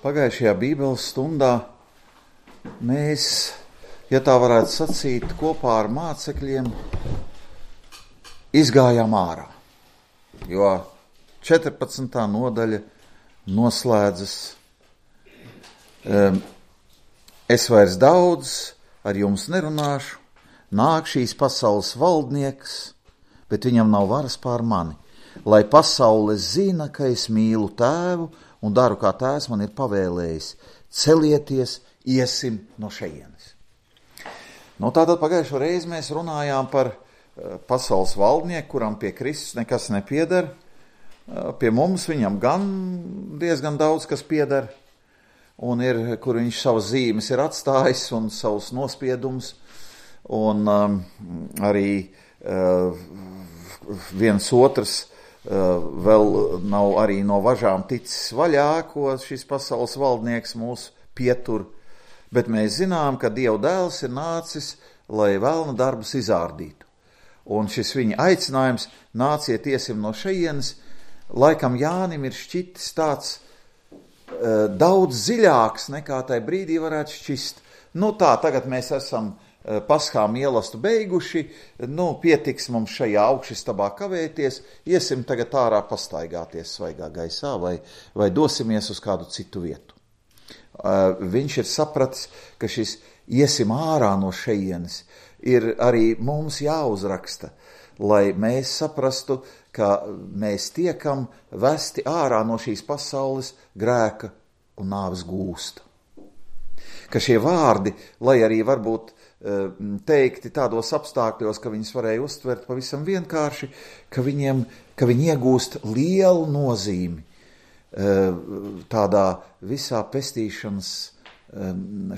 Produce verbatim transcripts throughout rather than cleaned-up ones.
Pagājušajā Bībeles stundā mēs, ja tā varētu sacīt, kopā ar mācekļiem izgājām ārā, jo četrpadsmitā nodaļa noslēdzas. Es vairs daudz ar jums nerunāšu, nāk šīs pasaules valdnieks, bet viņam nav varas pār mani, lai pasaule zina, ka es mīlu Tēvu un daru, kā Tēvs man ir pavēlējis. Celieties, iesim no šejienes. Nu, tātad pagājušo reizi mēs runājām par pasaules valdnieku, kuram pie Kristus nekas nepieder. Pie mums viņam gan diezgan daudz kas pieder, un ir, kur viņš savas zīmes ir atstājis un savus nospiedumus, un um, arī uh, viens otrs uh, vēl nav arī no važām ticis vaļā, ko šis pasaules valdnieks mūs pietur, bet mēs zinām, ka Dieva dēls ir nācis, lai velna darbus izārdītu. Un šis viņa aicinājums, nāciet iesim no šejienes, laikam Jānim ir šķitis tāds uh, daudz dziļāks nekā tai brīdī varētu šķist. Nu tā, tagad mēs esam uh, paskā mielastu beiguši, nu pietiks mums šajā augšistabā kavēties, iesim tagad ārā pastaigāties svaigā gaisā vai, vai dosimies uz kādu citu vietu. Uh, viņš ir sapratis, ka šis iesim ārā no šejienes ir arī mums jāuzraksta, lai mēs saprastu, ka mēs tiekam vesti ārā no šīs pasaules grēka un nāves gūsta. Ka šie vārdi, lai arī varbūt teikti tādos apstākļos, ka viņus varēja uztvert pavisam vienkārši, ka viņiem, ka viņi iegūst lielu nozīmi tādā visā pestīšanas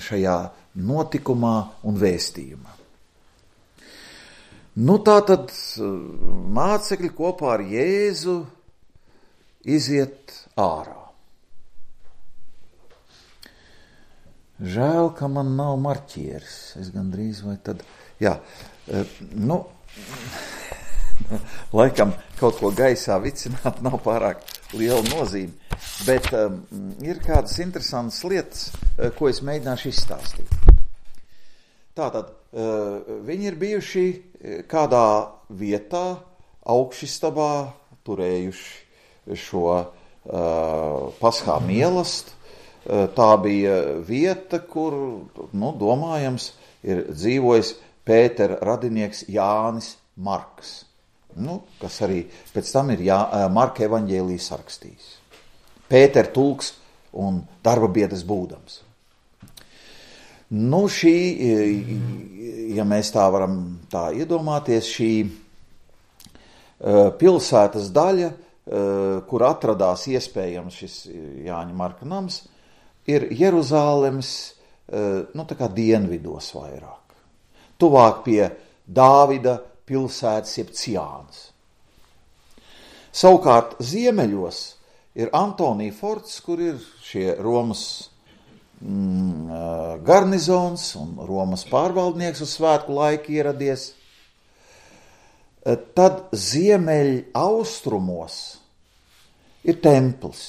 šajā notikumā un vēstījumā. Nu tā tad mācekļi kopā ar Jēzu iziet ārā. Žēl, ka man nav marķieris. Es gandrīz vai tad, jā, nu, laikam kaut ko gaisā vicināt nav pārāk liela nozīme, bet um, ir kādas interesantas lietas, ko es mēģināšu izstāstīt. Tātad, uh, viņi ir bijuši kādā vietā, augšistabā, turējuši šo uh, paskā mielastu. Uh, tā bija vieta, kur, nu, domājams, ir dzīvojis Pētera radinieks Jānis Marks, nu, kas arī pēc tam ir Jā, Marka evaņģēliju sarakstījis. Pētera tulks un darba biedrs būdams. Nu, šī, ja mēs tā varam tā iedomāties, šī uh, pilsētas daļa, uh, kur atradās iespējams šis Jāņa Marka nams, ir Jeruzālemes, uh, nu, tā kā dienvidos vairāk. Tuvāk pie Dāvida pilsētas, jeb Ciānas. Savukārt ziemeļos ir Antonija forts, kur ir šie Romas mm, garnizons un Romas pārvaldnieks uz svētku laiku ieradies. Tad ziemeļ austrumos ir templis.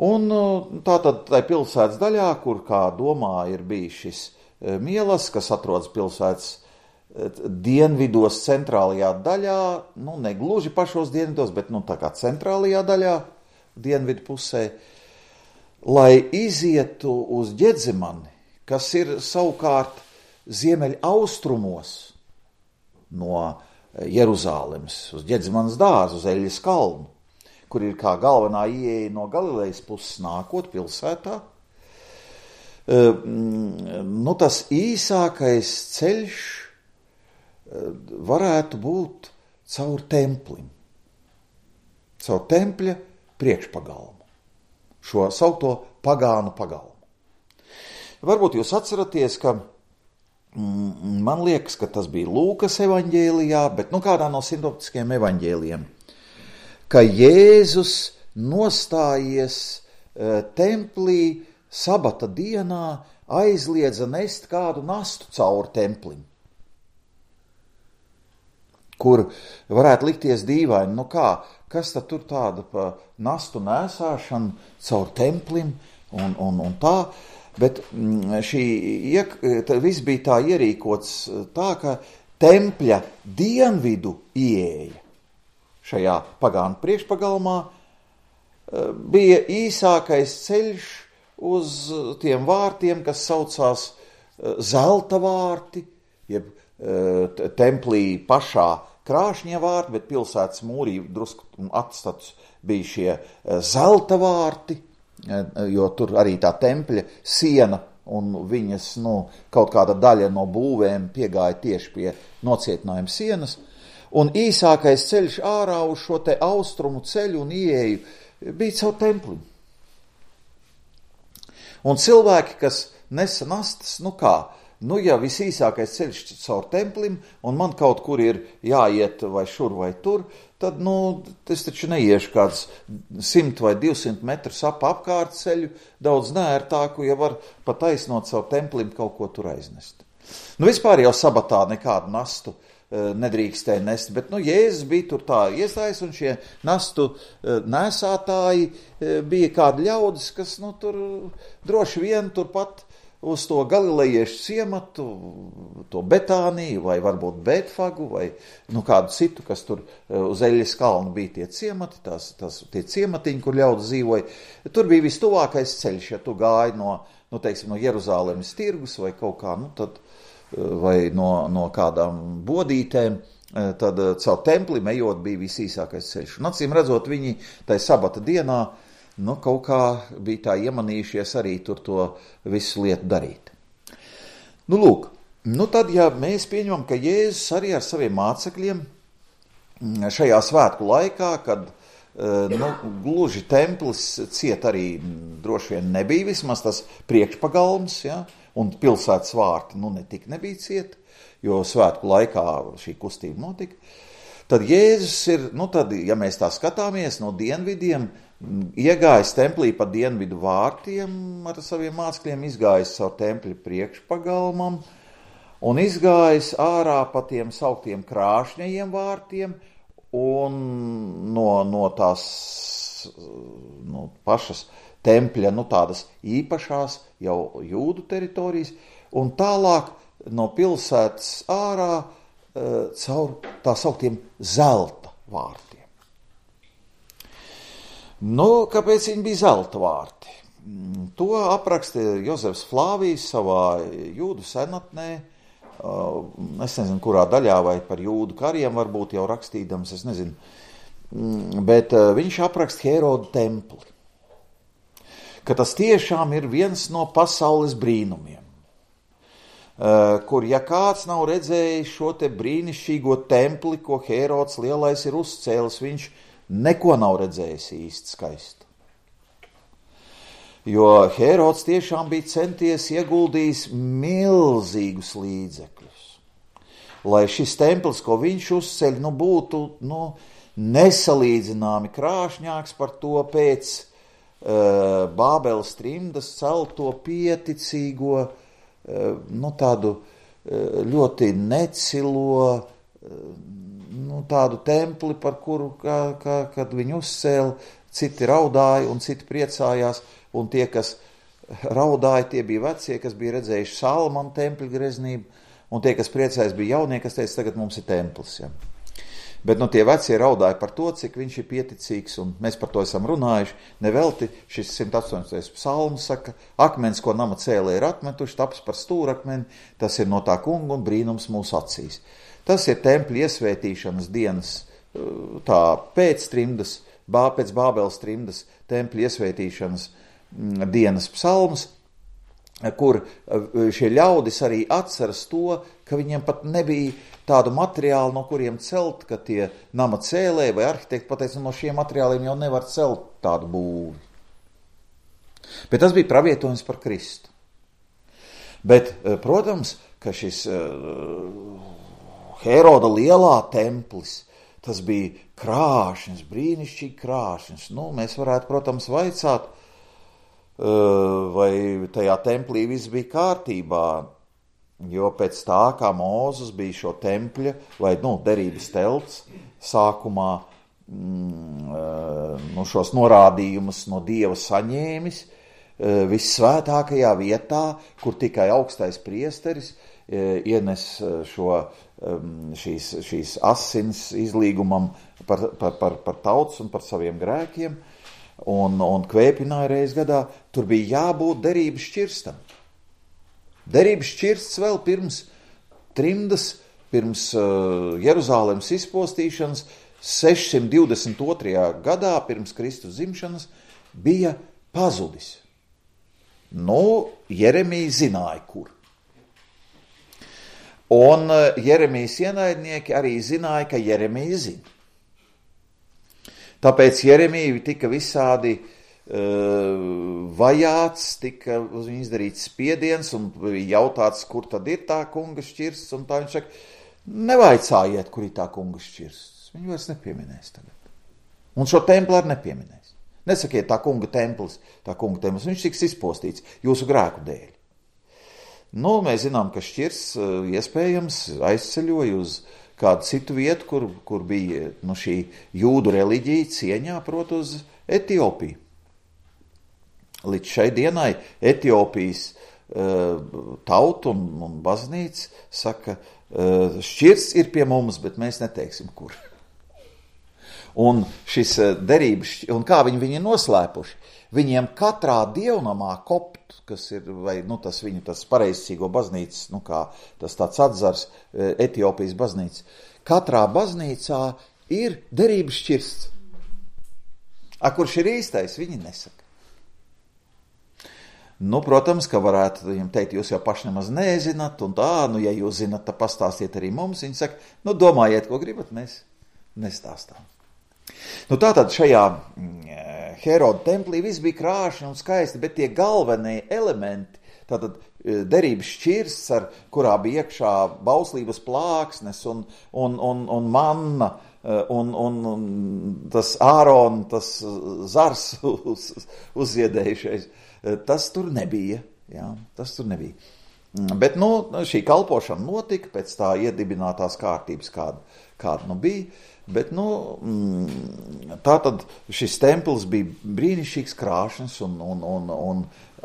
Un tātad tai pilsētas daļā, kur, kā domā, ir bijis šis mielas, kas atrodas pilsētas dienvidos, centrālajā daļā, nu, ne gluži pašos dienvidos, bet, nu, tā kā centrālajā daļā, dienvidu pusē, lai izietu uz Ģedzemani, kas ir savukārt ziemeļ austrumos no Jeruzālemes, uz Ģedzemanas dārzu, uz Eļas kalnu, kur ir kā galvenā ieeja no Galilejas puses nākot pilsētā. Nu, tas īsākais ceļš varētu būt caur templim, caur tempļa priekšpagalmu, šo saukto pagānu pagalmu. Varbūt jūs atceraties, ka mm, man liekas, ka tas bija Lūkas evaņģēlijā, bet nu kādā no sinoptiskiem evaņģēlijiem, ka Jēzus nostājies e, templī sabata dienā, aizliedza nest kādu nastu cauri templim. Kur varētu likties dīvaini, nu kā, kas tad tur tāda pa nastu nēsāšanu caur templim un, un, un tā. Bet šī, viss bija tā ierīkots tā, ka tempļa dienvidu ieeja šajā pagānu priekšpagalmā bija īsākais ceļš uz tiem vārtiem, kas saucās zelta vārti, jeb templī pašā krāšņie vārti, bet pilsētas mūrī drusku atstatus bija šie zelta vārti, jo tur arī tā tempļa siena un viņas, nu, kaut kāda daļa no būvēm piegāja tieši pie nocietinājuma sienas, un īsākais ceļš ārā uz šo te austrumu ceļu un ieeju bija caur templi. Un cilvēki, kas nesa nastas, nu kā, nu ja visīsākais ceļš caur templim, un man kaut kur ir jāiet vai šur vai tur, tad, nu, es taču neiešu kāds simt vai divsimt metrus ap apkārt ceļu, daudz neērtāku, ja var pat taisnot caur templim kaut ko tur aiznest. Nu, vispār jau sabatā nekādu nastu nedrīkstēja nest, bet, nu, Jēzus bija tur tā iestājas, un šie nastu nēsātāji bija kādi ļaudis, kas, nu, tur droši vien turpat uz to galilejiešu ciematu, to Betāniju, vai varbūt Betfagu, vai, nu, kādu citu, kas tur uz Eļas kalnu bija tie ciemati, tās, tās, tie ciematiņi, kur ļaudis dzīvoja. Tur bija vistuvākais ceļš, ja tu gāji no, nu, teiksim, no Jeruzālemes tirgus, vai kaut kā, nu, tad vai no, no kādām bodītēm, tad caur templim ejot bija visīsākais ceļš. Un acīm redzot, viņi tai sabata dienā, nu, kaut kā bija tā iemanījušies arī tur to visu lietu darīt. Nu, lūk, nu tad, ja mēs pieņemam, ka Jēzus arī ar saviem mācekļiem šajā svētku laikā, kad, nu, gluži templis ciet arī droši vien nebija, vismaz tas priekšpagalms, ja, un pilsētas vārti, nu, netik nebija cieti, jo svētku laikā šī kustība notika, tad Jēzus ir, nu, tad, ja mēs tā skatāmies no dienvidiem, iegājis templī pa dienvidu vārtiem ar saviem mācekļiem, izgājis caur tempļa priekšpagalmam un izgājis ārā pa tiem sauktiem krāšņajiem vārtiem un no, no tās no pašas tempļa, nu, tādas īpašās jau jūdu teritorijas, un tālāk no pilsētas ārā e, caur tā sauktiem zelta vārtiem. Nu, kāpēc viņi bija zelta vārti? To apraksta Jozefs Flāvijs savā jūdu senatnē, es nezinu, kurā daļā, vai par jūdu kariem varbūt jau rakstīdams, es nezinu, bet viņš apraksta Heroda templi, ka tas tiešām ir viens no pasaules brīnumiem, kur, ja kāds nav redzējis šo te brīnišķīgo templi, ko Herods lielais ir uzcēlis, viņš neko nav redzējis īsti skaistu. Jo Herods tiešām bija centies ieguldījis milzīgus līdzekļus, lai šis templis, ko viņš uzceļ, nu, būtu, nu, nesalīdzināmi krāšņāks par to pēc uh, Bābeles trimdas celto pieticīgo, uh, nu, tādu uh, ļoti necilo, uh, nu, tādu templi, par kuru, kā, kā, kad viņi uzcēla, citi raudāja un citi priecājās, un tie, kas raudāja, tie bija vecie, kas bija redzējuši Salmanu tempļa greznību, un tie, kas priecājas, bija jaunie, kas teica, tagad mums ir templis. Ja. Bet nu, tie vecie raudāja par to, cik viņš ir pieticīgs, un mēs par to esam runājuši. Nevelti šis simt astoņdesmitais psalms saka, akmens, ko nama cēlē ir atmetuši, taps par stūrakmeni, tas ir no tā kunga un brīnums mūsu acīs. Tas ir tempļa iesvētīšanas dienas, tā pēc trimdas, bā, pēc Bābeles trimdas tempļa iesvētīšanas dienas psalms, kur šie ļaudis arī atceras to, ka viņiem pat nebija tādu materiālu, no kuriem celt, ka tie nama cēlēji vai arhitekti pateica, no šiem materiāliem jau nevar celt tādu būvi. Bet tas bija pravietojums par Kristu. Bet, protams, ka šis Heroda lielā templis, tas bija krāšņs, brīnišķīgi krāšņs. Nu, mēs varētu, protams, vaicāt, vai tajā templī viss bija kārtībā, jo pēc tā, kā Mūzes bija šo tempļa, vai, nu, derības telts, sākumā mm, nu, šos norādījumus no Dieva saņēmis vissvētākajā vietā, kur tikai augstais priesteris ienes šo, šīs, šīs asins izlīgumam par, par, par, par tautas un par saviem grēkiem, un, un kvēpināja reiz gadā. Tur bija jābūt derības šķirstam. Derības šķirsts vēl pirms trimdas, pirms uh, Jeruzālemes izpostīšanas, sešsimt divdesmit otrajā gadā, pirms Kristus dzimšanas, bija pazudis. Nu, Jeremija zināja, kur. Un Jeremijas ienaidnieki arī zināja, ka Jeremija zina. Tāpēc Jeremija tika visādi uh, vajāts, tika uz viņu izdarīts spiediens un jautāts, kur tad ir tā kunga šķirsts, un tā viņš saka, nevaicājiet, kur ir tā kunga šķirsts. Viņu vairs nepieminēs tagad. Un šo templi arī nepieminēs. Nesakiet, tā kunga templis, tā kunga templis, viņš tiks izpostīts jūsu grēku dēļ. Nu, mēs zinām, ka šķirsts iespējams aizceļoja uz kādu citu vietu, kur, kur bija nu, šī jūdu reliģija cieņā, proti uz Etiopiju. Līdz šai dienai Etiopijas uh, tauta un, un baznīca saka, uh, šķirsts ir pie mums, bet mēs neteiksim, kur. Un šis derības, un kā viņi viņi noslēpuši, viņiem katrā dievnamā kopt, kas ir, vai, nu, tas viņu, tas pareizcīgo baznīcas, nu, kā tas tāds atzars, Etiopijas baznīca, katrā baznīcā ir derības šķirsts. A, kurš ir īstais, viņi nesaka. Nu, protams, ka varētu viņam teikt, jūs jau paši nemaz nezināt, un tā, nu, ja jūs zināt, tad pastāstiet arī mums. Viņi saka, nu, domājiet, ko gribat, mēs nestāstām. Nu, tātad šajā Heroda templī viss bija krāšņi un skaisti, bet tie galvenie elementi, tātad derības šķirsts, ar kurā bija iekšā bauslības plāksnes un, un, un, un manna, un, un, un tas Ārona, tas zars uz, uzziedējušais, tas tur nebija. Jā, tas tur nebija. Bet, nu, šī kalpošana notika pēc tā iedibinātās kārtības, kāda, kāda nu bija. Bet, nu, tā tad šis templis bija brīnišķīgs krāšņs, un, un, un, un,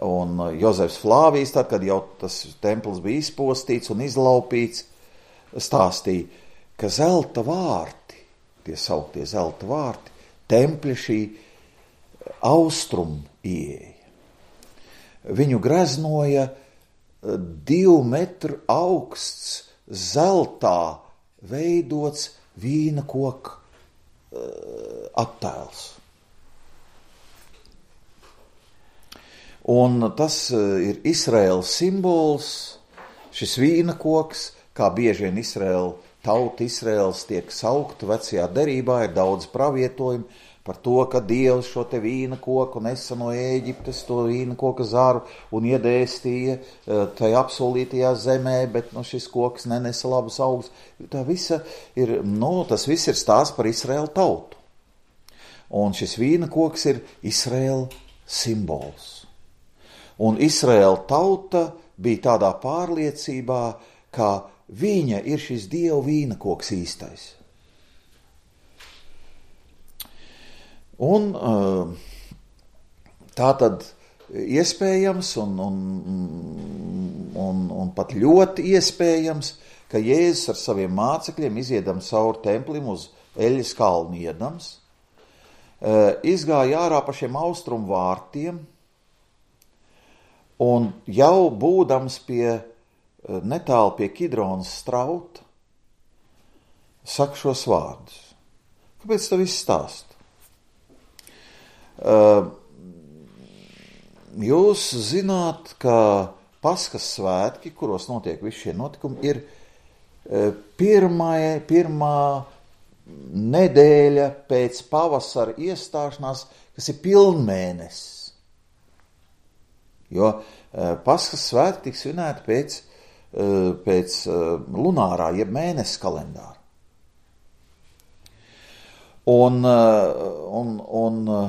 un Jozefs Flāvijs, tad, kad jau tas templis bija izpostīts un izlaupīts, stāstīja, ka zelta vārti, tie sauktie zelta vārti, tempļa šī austrum ieeja. Viņu greznoja divu metru augsts zeltā veidots vīna koka uh, attēls. Un tas uh, ir Izraēlas simbols, šis vīna koks, kā bieži vien Izraēla tauta Izraēls tiek saukta vecajā derībā, ir daudz pravietojumu par to, ka Dievs šo te vīna koku nesa no Ēģiptes, to vīna koka zaru un iedēstīja tajā apsolītajā zemē, bet nu, šis koks nenesa labus augus. Tā visa ir, nu, tas viss ir stāsts par Izraēlu tautu. Un šis vīna koks ir Izraēla simbols. Un Izraēla tauta bija tādā pārliecībā, ka viņa ir šis Dieva vīna koks īstais. Un tā tad iespējams un, un, un, un pat ļoti iespējams, ka Jēzus ar saviem mācekļiem iziedams cauri templim uz Eļas kalnu iedams, izgāja ārā pa šiem austrumu vārtiem un jau būdams pie netālu pie Kidronas strauta, saka šos vārdus. Kāpēc tā viss stāst? Uh, jūs zināt, ka Paskas svētki, kuros notiek visi šie notikumi, ir uh, pirmā, pirmā nedēļa pēc pavasara iestāšanās, kas ir pilnmēnesis. Jo uh, Paskas svētki tiks svinēti pēc, uh, pēc uh, lunārā, jeb mēnesis kalendāra. Un, uh, un, un uh,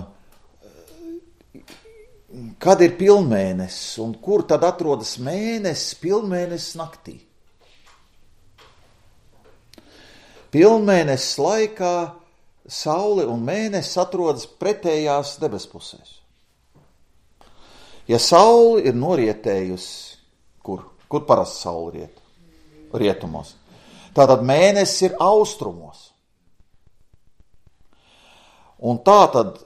kad ir pilnmēnesis un kur tad atrodas mēnesis pilnmēnesis naktī? Pilnmēnesis laikā saule un mēnesis atrodas pretējās debespusēs. Ja saule ir norietējusi, kur? Kur parasti saule riet? Rietumos. Tātad mēnesis ir austrumos. Un tātad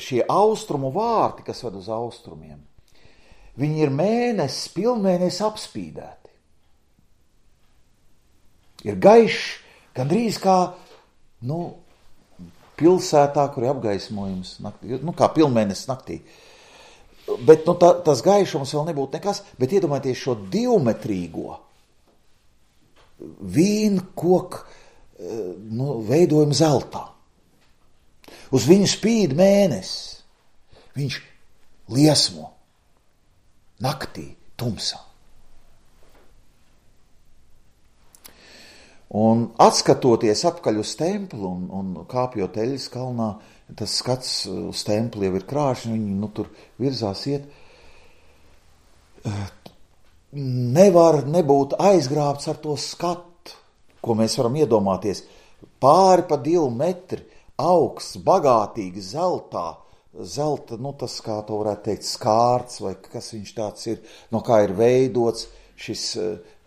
šie austrumu vārti, kas ved uz austrumiem, viņi ir mēnesis, pilnmēnesis apspīdēti. Ir gaišs, gandrīz kā, nu, pilsētā, kur ir apgaismojums, naktī, nu, kā pilnmēnesis naktī. Bet, nu, tā, tas gaišums vēl nebūtu nekas, bet iedomājieties šo divmetrīgo vīnkoku, nu, veidojumu zeltā. Uz viņu spīd mēnesis, viņš liesmo naktī, tumsā. Un atskatoties apkaļ uz templi un, un kāpjot Eļas kalnā, tas skats uz templi jau ir krāšņi, viņi nu, tur virzās iet. Nevar nebūt aizgrābts ar to skatu, ko mēs varam iedomāties. Pāri pa divu metri, augsts, bagātīgi zeltā, zelta, nu tas, kā to varētu teikt, skārts, vai kas viņš tāds ir, no kā ir veidots šis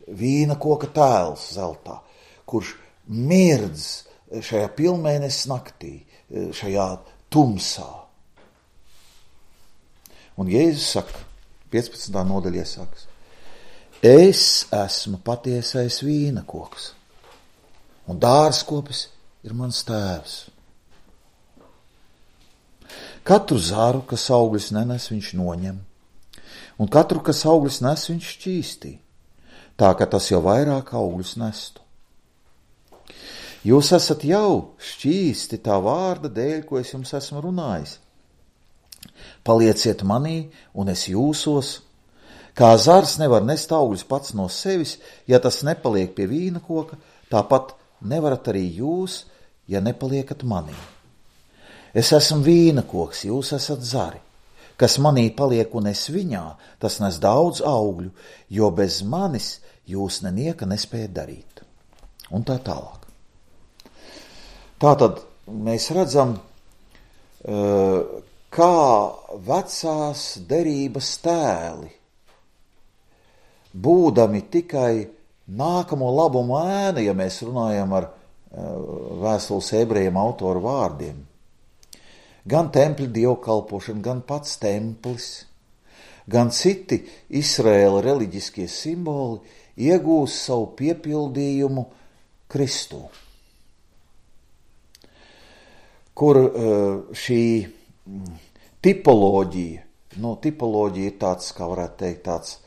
vīna koka tēls zeltā, kurš mirdz šajā pilnmēnesis naktī, šajā tumsā. Un Jēzus saka, piecpadsmitā nodaļā saka, es esmu patiesais vīna koks, un dārzkopis ir mans tēvs. Katru zaru, kas augļus nenes, viņš noņem, un katru, kas augļus nes, viņš šķīstī, tā ka tas jau vairāk augļus nestu. Jūs esat jau šķīsti tā vārda dēļ, ko es jums esmu runājis. Palieciet manī, un es jūsos, kā zars nevar nest augļus pats no sevis, ja tas nepaliek pie vīna koka, tāpat nevarat arī jūs, ja nepaliekat manī. Es esmu vīna koks, jūs esat zari. Kas manī paliek un es viņā, tas nes daudz augļu, jo bez manis jūs nenieka nespējat darīt. Un tā tālāk. Tātad mēs redzam, kā vecās derības tēli, būdami tikai nākamo labumu ēna, ja mēs runājam ar vēstules ebrejiem autoru vārdiem, gan tempļa dievkalpošana, gan pats templis, gan citi Izraēla reliģiskie simboli iegūst savu piepildījumu Kristū, kur šī tipoloģija, nu, tipoloģija ir tāds, kā varētu teikt, tāds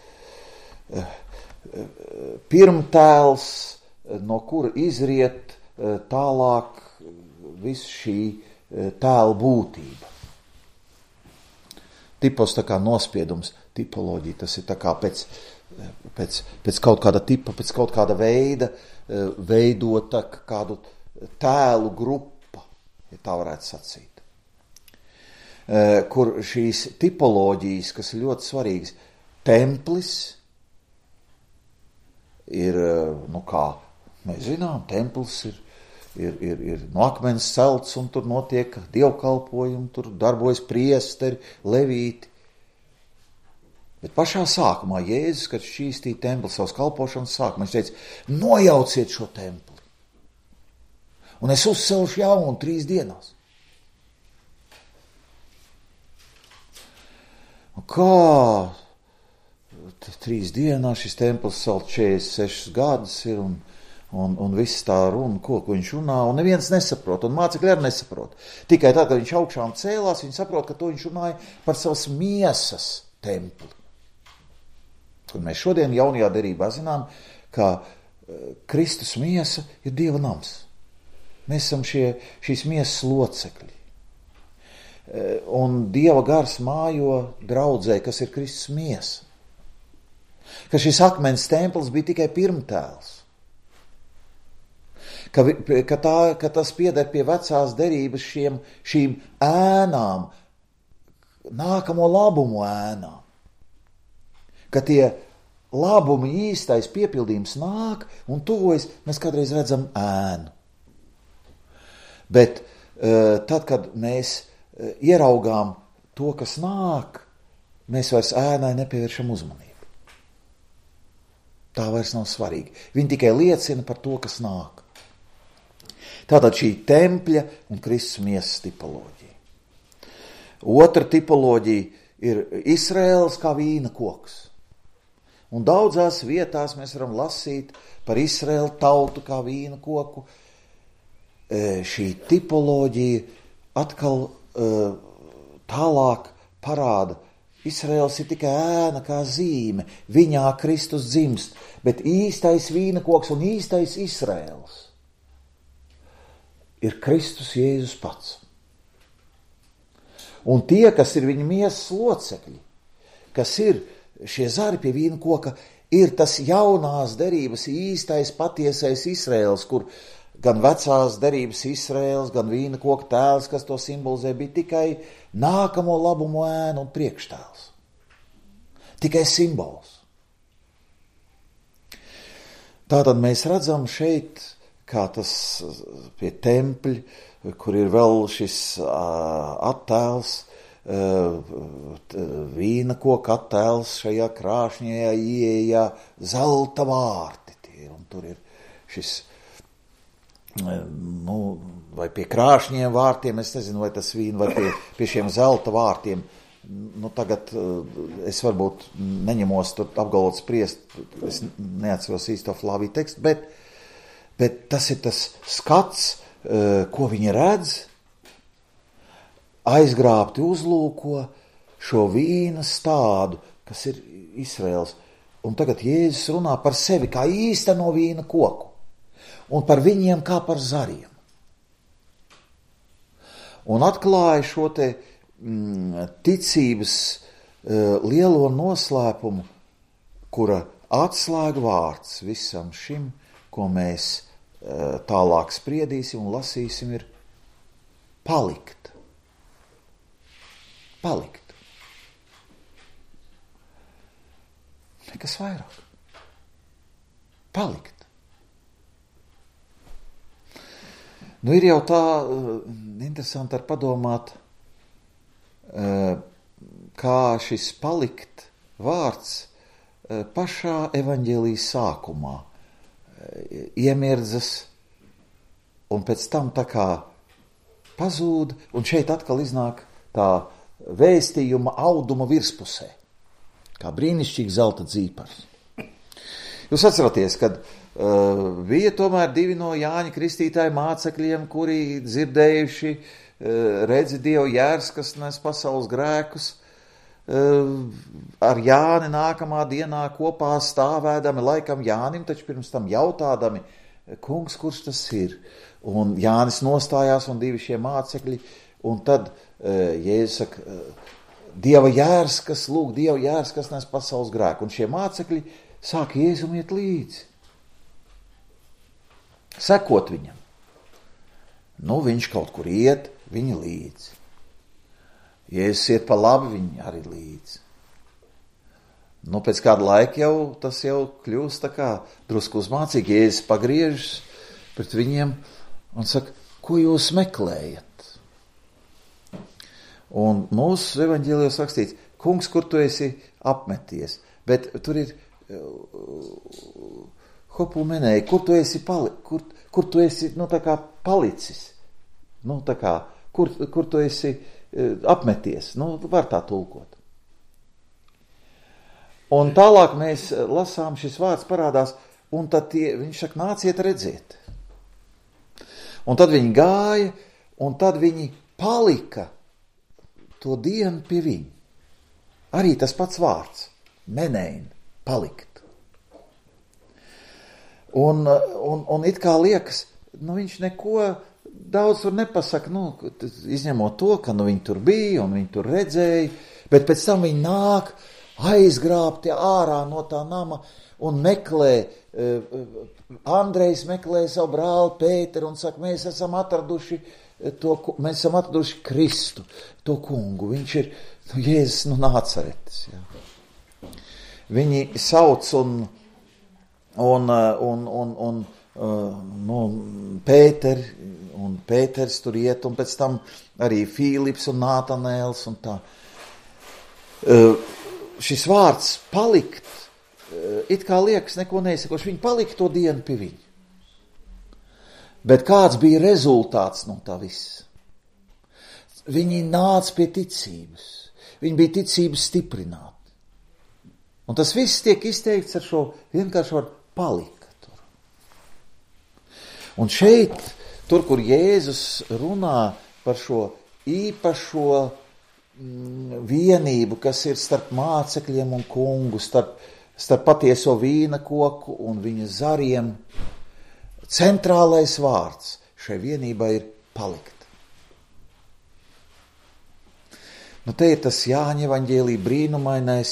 pirmtēls, no kura izriet tālāk visu šī tēla būtība. Tipos tā kā nospiedums, tipoloģija, tas ir tā kā pēc, pēc, pēc kaut kāda tipa, pēc kaut kāda veida veidota kādu tēlu grupa, ja tā varētu sacīt. Kur šīs tipoloģijas, kas ir ļoti svarīgas, templis ir, nu kā mēs zinām, templis ir Ir, ir, ir no akmens celts, un tur notiek dievkalpojumi, tur darbojas priesteri, levīti. Bet pašā sākumā Jēzus, kad šķīstīja templi savas kalpošanas sākumā, viņš teica, nojauciet šo templi, un es uzcelšu jaunu trīs dienās. Un kā trīs dienās šis templis celt četrdesmit sešus gadus ir, un Un, un viss tā runa, ko, ko viņš runā, un neviens nesaprot, un mācekļi arī nesaprot. Tikai tad, kad viņš augšām cēlās, viņi saprot, ka to viņš runāja par savas miesas templi. Un mēs šodien jaunajā derībā zinām, ka Kristus miesa ir Dieva nams. Mēs esam šie, šīs miesas locekļi. Un Dieva gars mājo draudzē, kas ir Kristus miesa. Ka šis akmens templis bija tikai pirmtēls. Ka, ka, tā, ka tas pieder pie vecās derības šiem, šīm ēnām, nākamo labumu ēnām. Ka tie labumi īstais piepildījums nāk un tuvojas, mēs kādreiz redzam ēnu. Bet tad, kad mēs ieraugām to, kas nāk, mēs vairs ēnai nepievēršam uzmanību. Tā vairs nav svarīgi. Viņi tikai liecina par to, kas nāk. Tātad šī tempļa un Kristus miesas tipoloģija. Otra tipoloģija ir Izraēls kā vīna koks. Un daudzās vietās mēs varam lasīt par Izraēlu tautu kā vīna koku. E, šī tipoloģija atkal e, tālāk parāda. Izraēls ir tikai ēna kā zīme, viņā Kristus dzimst, bet īstais vīna koks un īstais Izraēls ir Kristus Jēzus pats. Un tie, kas ir viņa miesas locekļi, kas ir šie zari pie vīna koka, ir tas jaunās derības īstais patiesais Izraēls, kur gan vecās derības Izraēls, gan vīna koka tēls, kas to simbolizē, bija tikai nākamo labumu ēnu un priekštēls. Tikai simbols. Tātad mēs redzam šeit, kā tas pie tempļa, kur ir vēl šis uh, attēls, vīna koka attēls šajā krāšņajā ieejā, zelta vārti tie, un tur ir šis, nu, vai pie krāšņiem vārtiem, es nezinu, vai tas vīna, vai pie, pie šiem zelta vārtiem, nu, tagad es varbūt neņemos tur apgalvot spriest, es neatceros īsto Flāviju tekstu, bet, bet tas ir tas skats, ko viņi redz, aizgrābti uzlūko šo vīna stādu, kas ir Izraēls. Un tagad Jēzus runā par sevi kā īsteno vīna koku un par viņiem kā par zariem. Un atklāja šo te mm, ticības uh, lielo noslēpumu, kura atslēga vārds visam šim, ko mēs uh, tālāk spriedīsim un lasīsim, ir palikt. Palikt. Nekas vairāk. Palikt. Nu, ir jau tā uh, interesanti ar padomāt, uh, kā šis palikt vārds uh, pašā evaņģēlijas sākumā uh, iemirdzas un pēc tam tā kā pazūd, un šeit atkal iznāk tā vēstījuma auduma virspusē, kā brīnišķīgi zelta dzīpars. Jūs atceraties, kad uh, bija tomēr divi no Jāņa Kristītāja mācekļiem, kuri dzirdējuši uh, redzi Dievu jērs, kas nes pasaules grēkus, uh, ar Jāni nākamā dienā kopā stāvēdami, laikam Jānim, taču pirms tam jautādami, kungs, kurš tas ir? Un Jānis nostājās un divi šie mācekļi, un tad Jēzus saka, Dieva jērs, kas lūk, Dieva jērs, kas nes pasaules grēku. Un šie mācekļi sāk Jēzum iet līdzi. Sekot viņam. Nu, viņš kaut kur iet, viņi līdzi. Jēzus iet pa labi, viņi arī līdzi. Nu, pēc kāda laika jau tas jau kļūst tā kā drusku uzmācīgi. Jēzus pagriežas pret viņiem un saka, ko jūs meklējat? Un mūsu evaņģēlijos rakstīts, kungs, kur tu esi apmeties, bet tur ir uh, hopumenēji, kur tu esi, pali, kur, kur tu esi nu, tā kā palicis, nu, tā kā, kur, kur tu esi uh, apmeties, nu, var tā tulkot. Un tālāk mēs lasām, šis vārds parādās, un tad tie, viņš saka, nāciet redzēt. Un tad viņi gāja, un tad viņi palika to dienu pie viņa. Arī tas pats vārds, menein, palikt. Un, un, un it kā liekas, nu viņš neko daudz tur nepasaka, nu, izņemot to, ka nu viņi tur bija un viņi tur redzēja, bet pēc tam viņi nāk aizgrābti ārā no tā nama un meklē, Andrejs meklē savu brāli Pēteru un saka, mēs esam atraduši To, mēs esam atraduši Kristu, to kungu. Viņš ir nu, Jēzus no Nācaretes. Jā. Viņi sauc un, un, un, un, un uh, nu, Pēteri, un Pēters tur iet, un pēc tam arī Fīlips un Nātanēls un tā. Uh, šis vārds palikt, uh, it kā liekas neko neizsakoši, viņi palika to dienu pie viņa. Bet kāds bija rezultāts no tā viss? Viņi nāca pie ticības. Viņi bija ticības stiprināti. Un tas viss tiek izteikts ar šo vienkārši var palika tur. Un šeit, tur, kur Jēzus runā par šo īpašo mm, vienību, kas ir starp mācekļiem un kungu, starp, starp patieso vīna koku un viņa zariem, centrālais vārds šai vienībai ir palikt. Nu, te ir tas Jāņa evaņģēlī brīnumainais,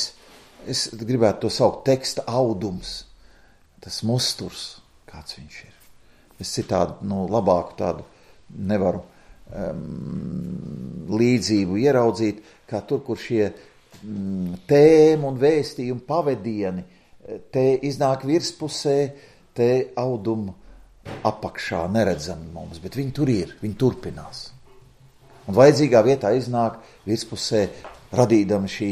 es gribētu to saukt teksta audums, tas musturs, kāds viņš ir. Es citādi, nu, labāku tādu nevaru um, līdzību ieraudzīt, kā tur, kur šie um, tēmu un vēstījumu pavedieni, te iznāk virspusē, te audumu apakšā neredzami mums, bet viņi tur ir, viņi turpinās. Un vajadzīgā vietā iznāk virspusē, radīdama šī,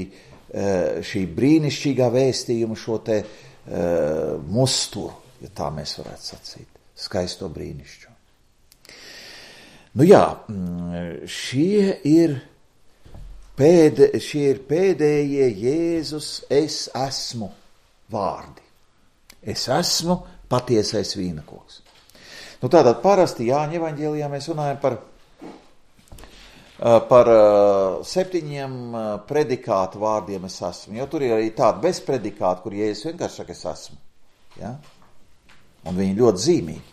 šī brīnišķīgā vēstījuma, šo te uh, musturu, ja tā mēs varētu sacīt, skaisto brīnišķu. Nu jā, šie ir, pēdē, šie ir pēdējie Jēzus es esmu vārdi. Es esmu patiesais vīnakoks. Nu tātad parasti Jāņa evaņģēlijā mēs runājam par, par septiņiem predikātu vārdiem es esmu. Jo tur ir arī tādi bez predikātu, kur Jēzus vienkārši saka es esmu. Ja? Un viņi ļoti zīmīgi.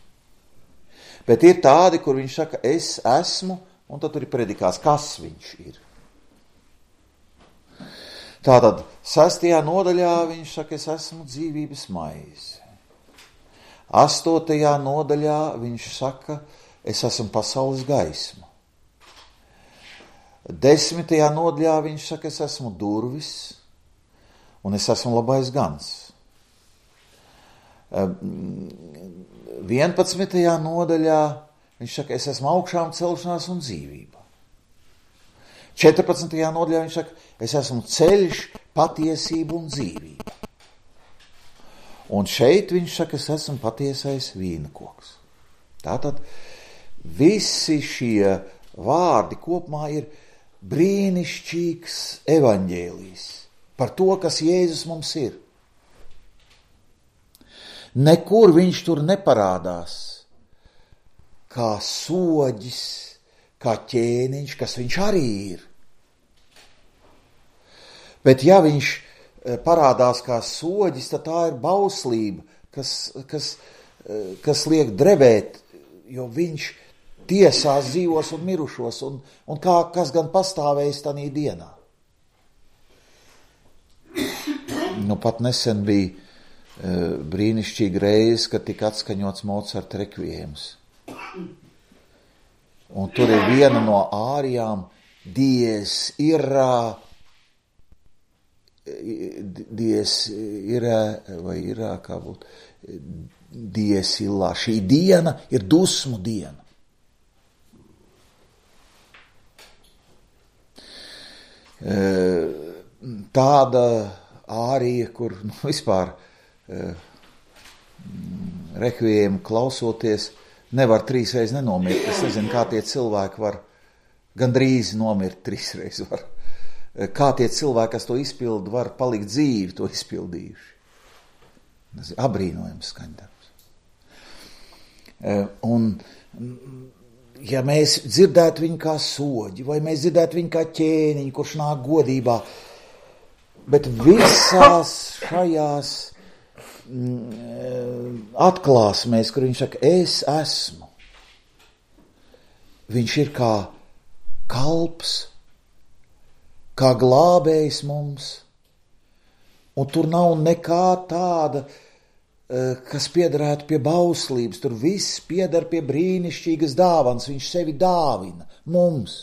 Bet ir tādi, kur viņš saka es esmu, un tad tur ir predikāts, kas viņš ir. Tātad sestajā nodaļā viņš saka es esmu dzīvības maize. Astotajā nodaļā viņš saka, es esmu pasaules gaisma. Desmitajā nodaļā viņš saka, es esmu durvis un es esmu labais gans. Vienpadsmitajā nodaļā viņš saka, es esmu augšām celšanās un dzīvība. četrpadsmitajā nodaļā viņš saka, es esmu ceļš, patiesība un dzīvība. Un šeit viņš saka, es esmu patiesais vīnakoks. Tātad visi šie vārdi kopumā ir brīnišķīgs evaņģēlijs par to, kas Jēzus mums ir. Nekur viņš tur neparādās kā soģis, kā ķēniņš, kas viņš arī ir. Bet ja viņš parādās kā soģis, tad tā ir bauslība, kas, kas, kas liek drebēt, jo viņš tiesās dzīvos un mirušos, un, un kā, kas gan pastāvēs tanī dienā. Nu, pat nesen bija uh, brīnišķīga reize, kad tika atskaņots Mocarta rekviems. Un tur ir viena no ārijām, dies irā, dies irā, vai irā, kā būtu, dies illā. Šī diena ir dusmu diena. Tāda ārija, kur nu, vispār rekviēmu klausoties, nevar trīsreiz nenomirt. Es nezinu, kā tie cilvēki var gandrīz nomirt trīsreiz. Var. Kā tie cilvēki, kas to izpildu, var palikt dzīvi, to izpildījuši. Abrīnojams skaņdarbs. Un, ja mēs dzirdētu viņu kā soģi, vai mēs dzirdētu viņu kā ķēniņu, kurš nāk godībā, bet visās šajās atklāsmēs, kur viņš saka, es esmu, viņš ir kā kalps, kā glābējs mums, un tur nav nekā tāda, kas piederētu pie bauslības, tur viss pieder pie brīnišķīgas dāvanas, viņš sevi dāvina mums.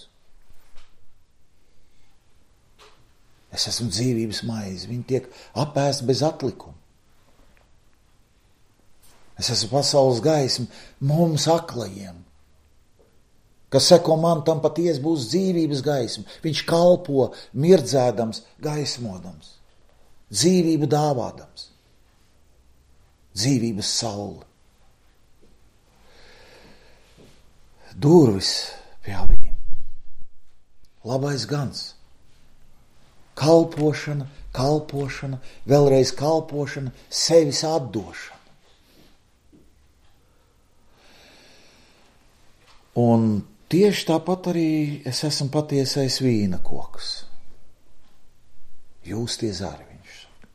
Es esmu dzīvības maize, viņi tiek apēsti bez atlikuma. Es esmu pasaules gaisma mums aklajiem. Kas seko man, tam patiesi būs dzīvības gaisma. Viņš kalpo mirdzēdams, gaismodams, dzīvību dāvādams, dzīvības saule. Durvis pie avīm, labais gans, kalpošana, kalpošana, vēlreiz kalpošana, sevis atdošana. Un tieši tāpat arī es esmu patiesais vīna koks. Jūs tie zari, viņš saka.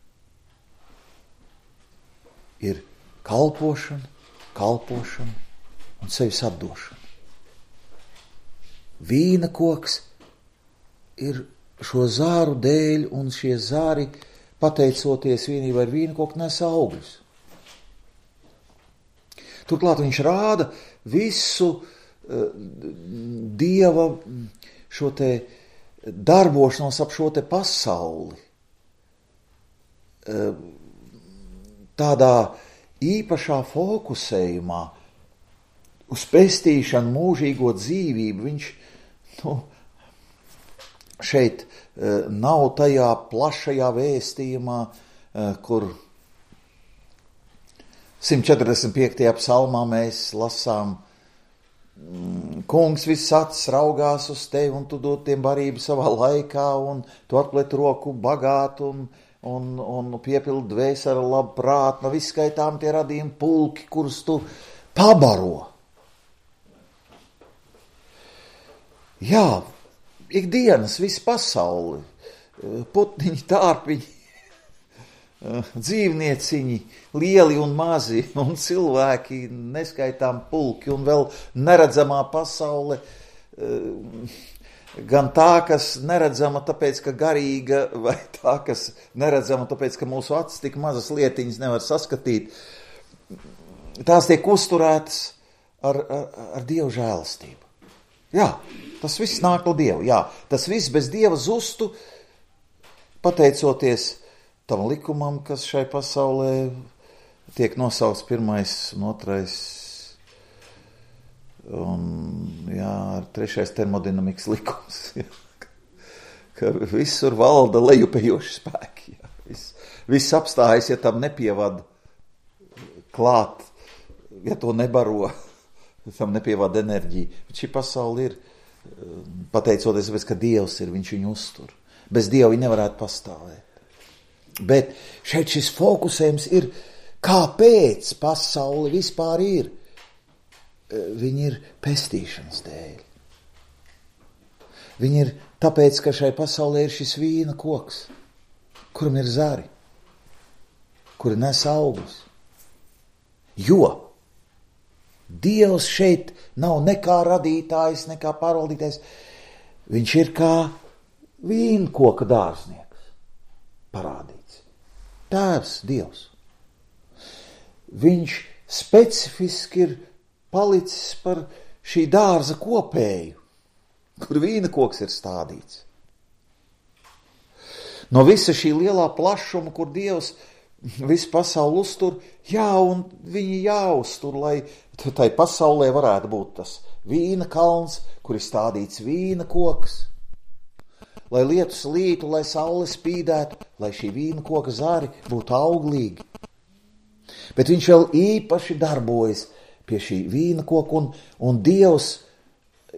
Ir kalpošana, kalpošana un sevis atdošana. Vīna koks ir šo zāru dēļ, un šie zāri, pateicoties vienībai ar vīna koku, nes augļus. Turklāt viņš rāda visu Dieva šo te darbošanos ap šo te pasauli. Tādā īpašā fokusējumā uz pestīšanu, mūžīgo dzīvību. Viņš nu, šeit nav tajā plašajā vēstījumā, kur simt četrdesmit piektajā psalmā mēs lasām: Kungs viss acis raugās uz tevi, un tu dod tiem barību savā laikā, un tu atplet roku bagāt, un, un, un piepildi dvēseli ar labu prātu. No viskaitām tie radījumi pulki, kurus tu pabaro. Jā, ikdienas, visa pasauli, putniņi, tārpiņi, dzīvnieciņi, lieli un mazi, un cilvēki, neskaitām pulki, un vēl neredzamā pasaule, gan tā, kas neredzama tāpēc, ka garīga, vai tā, kas neredzama tāpēc, ka mūsu acis tik mazas lietiņas nevar saskatīt, tās tiek uzturētas ar, ar, ar Dievu žēlastību. Jā, tas viss nāk no Dieva, jā, tas viss bez Dieva zustu, pateicoties tam likumam, kas šai pasaulē tiek nosaukts pirmais un otrais, un jā, trešais termodinamikas likums, jā, ka visur valda lejupējoši spēki, jā, viss, viss apstājas, ja tam nepievad klāt, ja to nebaro, tam nepievad enerģiju. Bet šī pasaule ir, pateicoties, ka Dievs ir, viņš viņu uztur. Bez Dieva viņi nevarētu pastāvēt. Bet šeit šis fokusējums ir, kāpēc pasaule vispār ir. Viņi ir pestīšanas dēļ. Viņi ir tāpēc, ka šai pasaulē ir šis vīna koks, kuram ir zari, kuri nes augļus. Jo Dievs šeit nav nekā radītājs, nekā pārvaldītājs. Viņš ir kā vīna koka dārznieks parādīts. Tēvs, Dievs. Viņš specifiski ir palicis par šī dārza kopēju, kur vīna koks ir stādīts. No visa šī lielā plašuma, kur Dievs visu pasauli uztur, jā, un viņi jāuztur, lai tai pasaulē varētu būt tas vīna kalns, kur ir stādīts vīna koks, lai lietus lītu, lai saule spīdētu, lai šī vīna koka zari būtu auglīgi. Bet viņš vēl īpaši darbojas pie šī vīna koka, un, un Dievs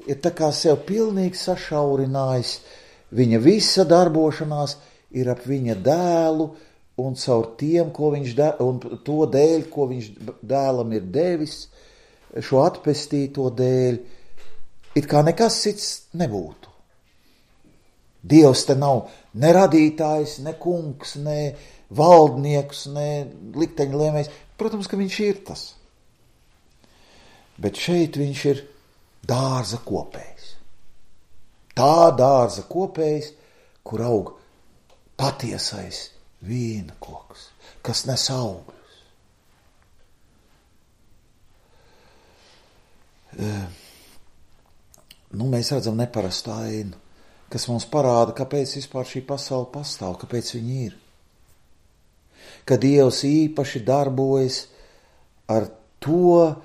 ir tā kā sev pilnīgi sašaurinājis. Viņa visa darbošanās ir ap viņa dēlu, un caur tiem, ko viņš de, un to dēļ, ko viņš dēlam ir devis, šo atpestīto dēļ, it kā nekas cits nebūtu. Dievs te nav ne radītājs, ne kungs, ne valdnieks, ne likteņlēmējs. Protams, ka viņš ir tas. Bet šeit viņš ir dārza kopējs. Tā dārza kopējs, kur aug patiesais vīna koks, kas nes augļus. Nu, mēs redzam neparastu ainu, kas mums parāda, kāpēc vispār šī pasaule pastāv, kāpēc viņi ir. Ka Dievs īpaši darbojas ar to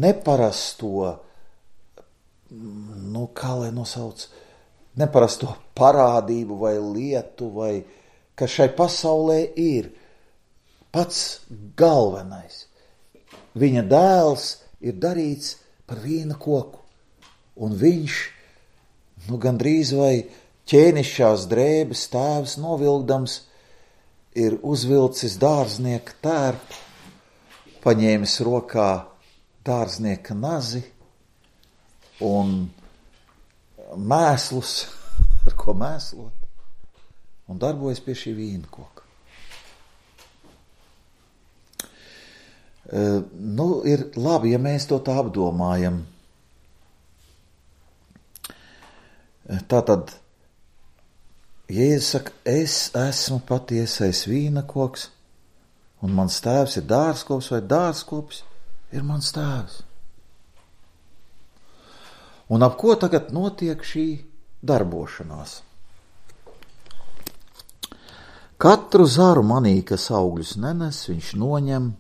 neparasto, nu, kā lai nosauc, neparasto parādību vai lietu, vai kas šai pasaulē ir pats galvenais. Viņa dēls ir darīts par vīna koku, un viņš, nu, gandrīz vai ķēnišķās drēbes tēvs novilkdams, ir uzvilcis dārznieka tērpu, paņēmis rokā dārznieka nazi un mēslus, ar ko mēslot, un darbojas pie šī vīna koka. Uh, nu, ir labi, ja mēs to tā apdomājam. Tātad, Jēzus saka, es esmu patiesais vīna koks, un mans tēvs ir dārzkops, vai dārzkops ir mans tēvs. Un ap ko tagad notiek šī darbošanās? Katru zaru manī, kas augļus nenes, viņš noņem,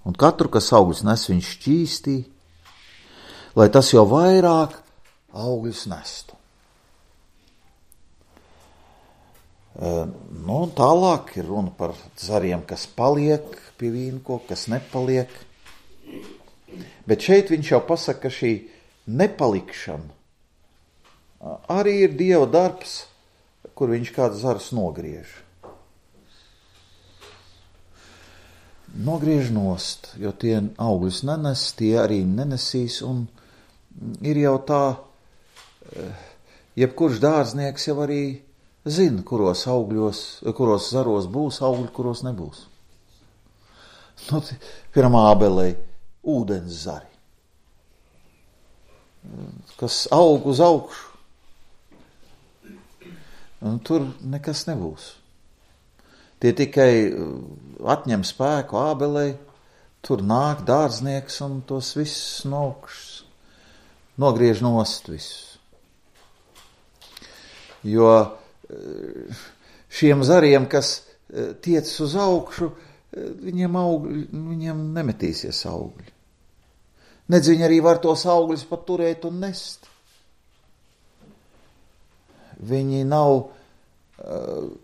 un katru, kas augļus nes, viņš šķīstī, lai tas jau vairāk augļus nestu. Uh, nu, tālāk ir runa par zariem, kas paliek pie vīnkoka, kas nepaliek. Bet šeit viņš jau pasaka, ka šī nepalikšana uh, arī ir Dieva darbs, kur viņš kāds zarus nogriež. Nogriež nost, jo tie augļus nenes, tie arī nenesīs, un ir jau tā, uh, jebkurš dārznieks jau arī zina, kuros augļos, kuros zaros būs augļi, kuros nebūs. Nu, piemēram, ābelei ūdens zari, kas aug uz augšu. Un tur nekas nebūs. Tie tikai atņem spēku ābelei, tur nāk dārznieks un tos visus no augšas nogriež nost visus. Jo šiem zariem, kas tiec uz augšu, viņiem, augļi, viņiem nemetīsies augļi. Nedz viņi arī var tos augļus pat turēt un nest. Viņi nav uh,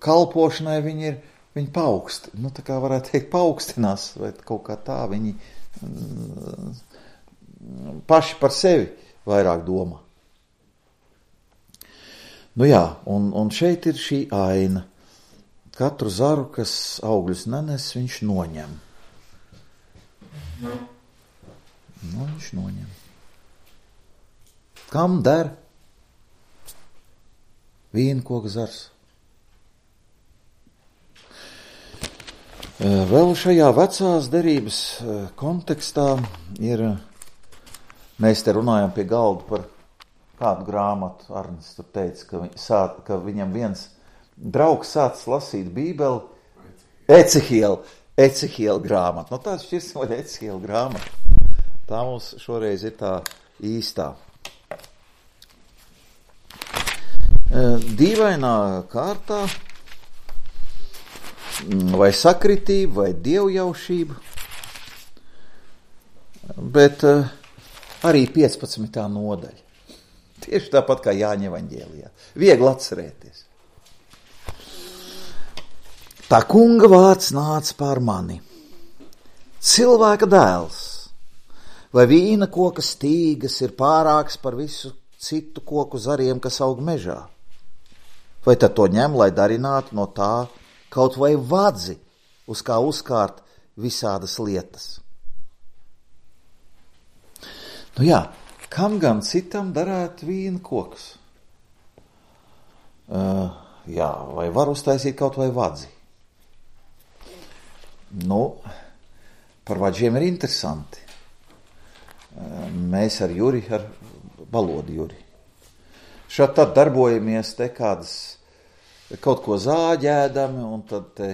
kalpošanai, viņi ir, viņi paukst, nu tā kā varētu teikt, paaugstināts, vai kaut kā tā, viņi uh, paši par sevi vairāk domā. Nu jā, un, un šeit ir šī aina. Katru zaru, kas augļus nenes, viņš noņem. Nu, viņš noņem. Kam der vīnkoka zars? Vēl šajā vecās derības kontekstā ir, mēs te runājam pie galda par kādu grāmatu. Arnis tur teica, ka, viņ, sāt, ka viņam viens draugs sācis lasīt Bībeli, Ecehiela, Ecehiela grāmatu. Nu, tāds šķirsim vai Ecehiela grāmatu. Tā mums šoreiz ir tā īstā. Dīvainā kārtā, vai sakritība, vai dievjaušība, bet arī piecpadsmitā nodaļa. Tieši tāpat kā Jāņa evaņģēlijā. Viegli atcerēties. Tā kunga vārds nāca pār mani. Cilvēka dēls, vai vīna koka stīgas ir pārāks par visu citu koku zariem, kas aug mežā? Vai tad to ņem, lai darinātu no tā kaut vai vadzi, uz kā uzkārt visādas lietas? Nu jā, kam gan citam darētu vīna koks? Uh, jā, vai var uztaisīt kaut vai vadzi? Nu, par vadžiem ir interesanti. Uh, mēs ar Juri, ar Balodu Juri, šādi tad darbojamies te kādas, kaut ko zāģēdami, un tad te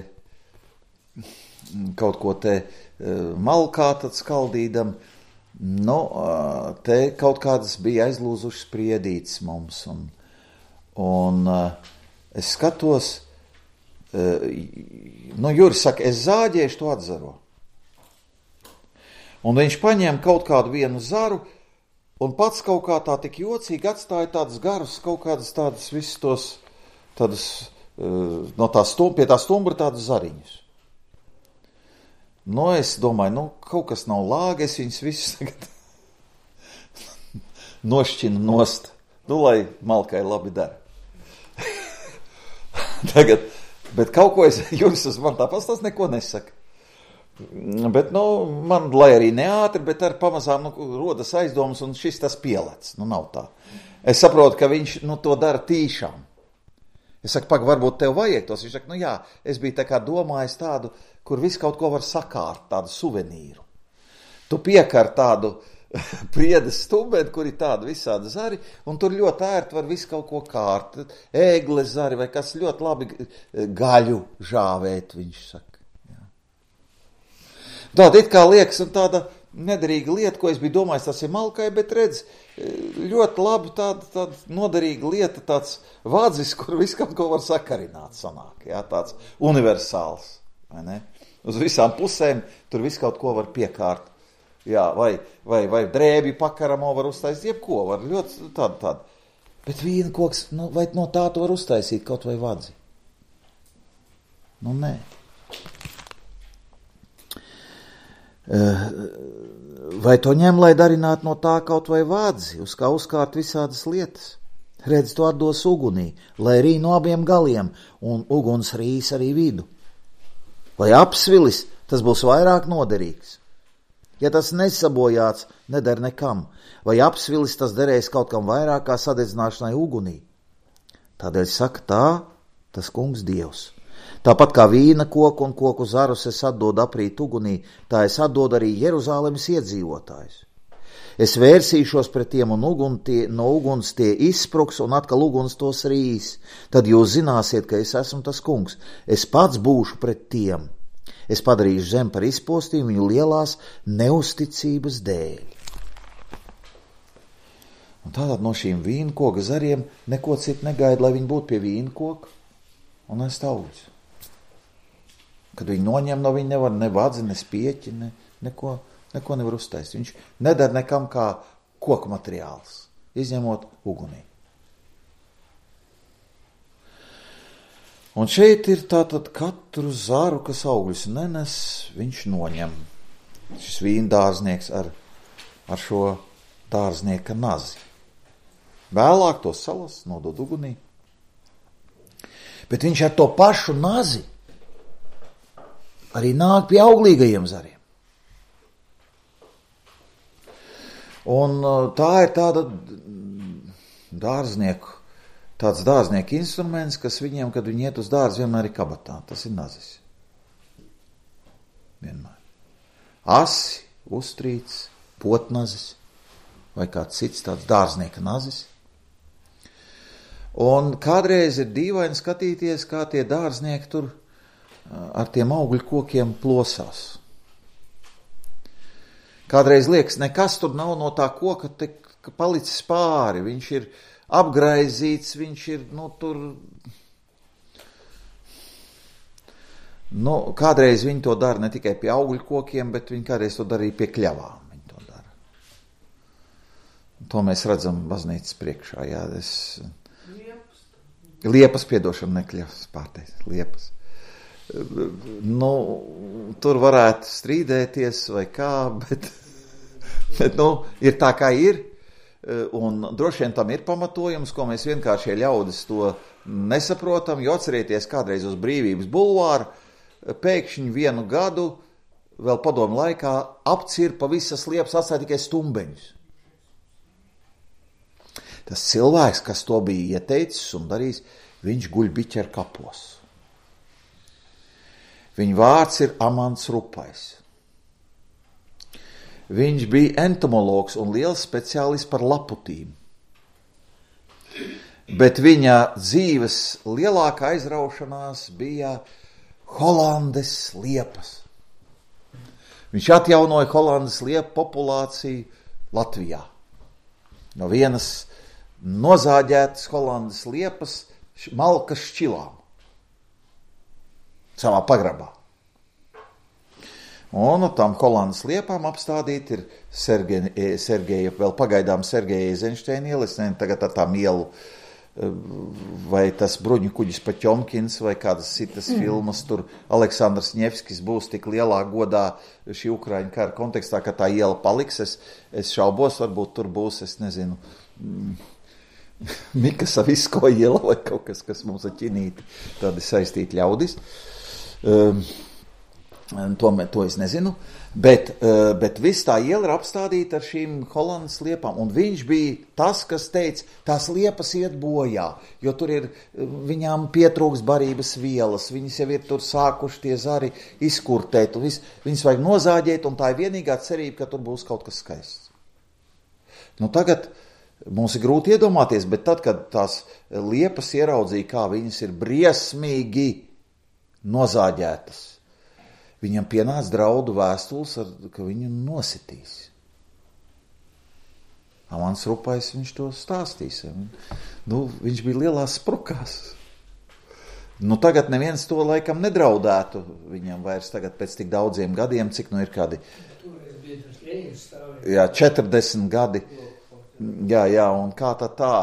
kaut ko te uh, malkā tad skaldīdam. Nu, te kaut kādas bija aizlūzušas priedītes mums, un, un es skatos, nu, Juris saka, es zāģēšu, to atzaro. Un viņš paņēma kaut kādu vienu zaru, un pats kaut kā tā tik jocīgi atstāja tādas garus, kaut kādas tādas visus tos, tādas, no tā stum, pie tā stumbra tādas zariņus. Nu, es domāju, nu, kaut kas nav lāgi, es viņus visus tagad nošķinu nost. Nu, lai malkai labi dara. Tagad, bet kaut ko es, Juris uz man tāpēc tas neko nesaka. Bet, nu, man, lai arī neātri, bet ar pamazām, nu, rodas aizdomas un šis tas pielec. Nu, nav tā. Es saprotu, ka viņš, nu, to dara tīšām. Es saku, pag, varbūt tev vajag tos. Viņš saka, nu jā, es biju tā kā domājis tādu, kur viss kaut ko var sakārt, tādu suvenīru. Tu piekar tādu priedes stumbeni, kur ir tāda visāda zari, un tur ļoti ērti var visu kaut ko kārt. Ēgles zari vai kas ļoti labi gaļu žāvēt, viņš saka. Jā. Tāda it kā liekas un tāda nederīga lieta, ko es biju domājis, tas ir malkai, bet redz, ļoti labi tāda, tāda noderīga lieta, tāds vādzis, kur visu kaut ko var sakarināt sanāk, jā, tāds universāls, vai ne? Uz visām pusēm tur visu kaut ko var piekārt, jā, vai, vai, vai drēbi pakaramo var uztaisīt, jebko var, ļoti tāda, tāda. Bet vīna koks, nu, vai no tā tu var uztaisīt kaut vai vadzi? Nu, nē. Vai to ņem, lai darinātu no tā kaut vai vadzi, uz kā uzkārt visādas lietas? Redz, to atdos ugunī, lai rī no abiem galiem, un uguns rīs arī vidu. Vai apsvilis, tas būs vairāk noderīgs. Ja tas nesabojāts, neder nekam, vai apsvilis, tas derēs kaut kam vairāk kā sadedzināšanai ugunī. Tādēļ saka tā, tas kungs Dievs. Tāpat kā vīna koku un koku zarus es atdodu aprīt ugunī, tā es atdodu arī Jeruzālemes iedzīvotājus. Es vērsīšos pret tiem un ugun tie, no uguns tie izspruks un atkal uguns tos rīs. Tad jūs zināsiet, ka es esmu tas kungs. Es pats būšu pret tiem. Es padarīšu zem par izpostījumu viņu lielās neusticības dēļ. Un tātad no šīm vīnkoka zariem neko citu negaida, lai viņi būtu pie vīnkoka un ēst augļus. Kad viņi noņem no viņa nevar ne vadzi, ne spieķi, ne, neko, neko nevar uztaisīt. Viņš nedara nekam kā koku materiāls, izņemot ugunī. Un šeit ir tātad katru zaru, kas augļus nenes, viņš noņem. Šis vīndārznieks ar, ar šo dārznieka nazi. Vēlāk to salas, nodod ugunī. Bet viņš ar to pašu nazi arī nāk pie auglīgajiem zariem. Un tā ir tāda dārznieku, tāds dārznieku instruments, kas viņiem, kad viņi iet uz dārzu, vienmēr ir kabatā. Tas ir nazis. Vienmēr. Asi, uztrīts, potnazis vai kāds cits tāds dārznieka nazis. Un kādreiz ir dīvaini skatīties, kā tie dārznieki tur ar tiem augļu kokiem plosās. Kādreiz liekas, nekas tur nav no tā koka tik palicis pāri. Viņš ir apgraizīts, viņš ir, nu, tur... Nu, kādreiz viņi to dara ne tikai pie augļu kokiem, bet viņi kādreiz to dara arī pie kļavām. Viņi to dara. To mēs redzam baznīcas priekšā, jā. Es... Liepas. Liepas, piedošana, nekļavas, pārteicis, liepas. Nu, tur varētu strīdēties vai kā, bet, bet nu, ir tā kā ir, un droši vien tam ir pamatojums, ko mēs vienkāršie ļaudis to nesaprotam, jo atcerieties kādreiz uz Brīvības bulvāru, pēkšņi vienu gadu, vēl padomu laikā, apcirpa visas liepas, atstāja tikai stumbeņus. Tas cilvēks, kas to bija ieteicis un darījis, viņš guļ biķer kapos. Viņa vārds ir Amants Rupais. Viņš bija entomologs un liels speciālists par laputīm. Bet viņa dzīves lielākā aizraušanās bija Holandes liepas. Viņš atjaunoja Holandes liepu populāciju Latvijā. No vienas nozāģētas Holandes liepas malkas šķilām. Savā pagrabā. Un no tam Holandas liepām apstādīt ir Sergeja, Sergeja vēl pagaidām Sergeja Eizenšteina iela, es nezinu tagad ar tām ielu, vai tas bruņu kuģis Paķomkins, vai kādas citas mm. filmas, tur Aleksandrs Ņevskis būs tik lielā godā šī Ukraiņu kara kontekstā, ka tā iela paliks, es, es šaubos, varbūt tur būs, es nezinu, Mika Savisko iela vai kaut kas, kas mums ar ķinīti tādi saistīti ļaudis. Um, to, to es nezinu, bet, uh, bet viss tā iela ir apstādīta ar šīm Holandas liepām, un viņš bija tas, kas teica, tās liepas iet bojā, jo tur ir, viņām pietrūks barības vielas, viņas jau ir tur sākuši tie zari izkurtēt, un vis, viņas vajag nozāģēt, un tā ir vienīgā cerība, ka tur būs kaut kas skaists. Nu tagad mums ir grūti iedomāties, bet tad, kad tās liepas ieraudzīja, kā viņas ir briesmīgi nozāģētas, viņam pienāca draudu vēstules, ka viņu nositīs. Mans Rupais viņš to stāstīs. Nu, viņš bija lielās sprukās. Nu, tagad neviens to laikam nedraudētu viņam vairs tagad pēc tik daudziem gadiem, cik nu ir kādi jā, četrdesmit gadi. Jā, jā, un kā tā tā,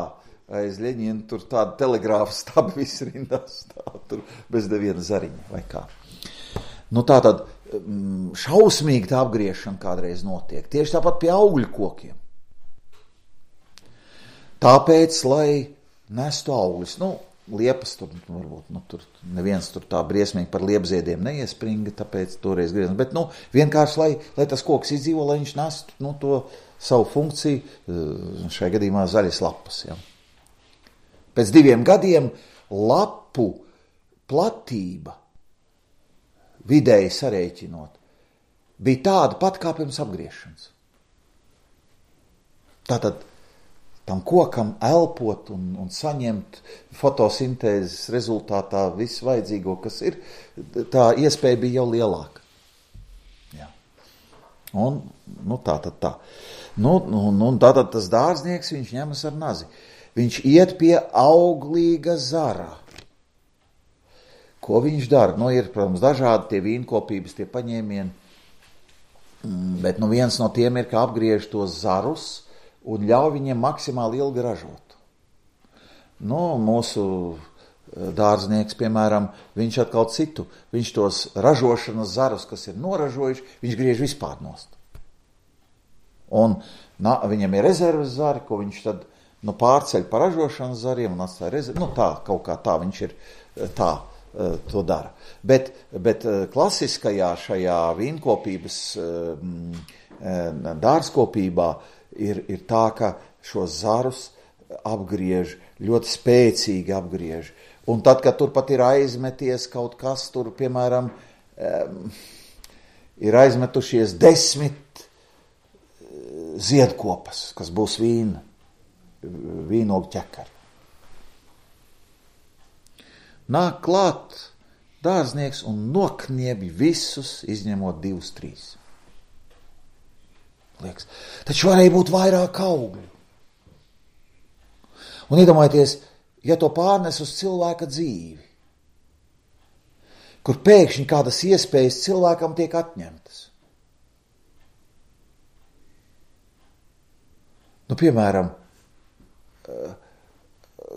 aiz Ļeņina tur tāda telegrāfa stabi viss rindās stāv, tur bez neviena zariņa vai kā. Nu tā tad šausmīgi tā apgriešana kādreiz notiek, tieši tāpat pie augļu kokiem. Tāpēc, lai nestu augļus, nu, liepas tur, varbūt, nu, tur neviens tur tā briesmīgi par liepziediem neiespringa, tāpēc toreiz griezam, bet, nu, vienkārši, lai, lai tas koks izdzīvo, lai viņš nestu, nu, to savu funkciju, šajā gadījumā zaļas lapas. Ja. Pēc diviem gadiem lapu platība, vidēji sarēķinot, bija tāda pat kā pirms apgriešanas. Tātad tam kokam elpot un, un saņemt fotosintēzes rezultātā visu vajadzīgo, kas ir, tā iespēja bija jau lielāka. Ja. Un, nu tā tad tā. Nu, nu, nu, tātad tas dārznieks, viņš ņemas ar nazi. Viņš iet pie auglīga zara. Ko viņš dara? Nu, ir, protams, dažādi tie vīnkopības, tie paņēmieni, bet nu, viens no tiem ir, ka apgriež tos zarus un ļauj viņiem maksimāli ilgi ražot. Nu, mūsu dārznieks, piemēram, viņš atkal citu, viņš tos ražošanas zarus, kas ir noražojuši, viņš griež vispār nost. Un na, viņam ir rezerves zari, ko viņš tad nu, pārceļ par ražošanas zariem un atstāja rezerves. Nu tā, kaut kā tā viņš ir tā, to dara. Bet, bet klasiskajā šajā vīnkopības dārzkopībā ir, ir tā, ka šos zarus apgriež, ļoti spēcīgi apgriež. Un tad, kad tur pat ir aizmeties kaut kas, tur, piemēram, ir aizmetušies desmit ziedkopas, kas būs vīna, vīnogu ķekari. Nāk klāt dārznieks un nokniebj visus, izņemot divus, trīs. Liekas, taču varēja būt vairāk augļu. Un iedomājieties, ja to pārnes uz cilvēka dzīvi, kur pēkšņi kādas iespējas cilvēkam tiek atņemtas. Nu, piemēram,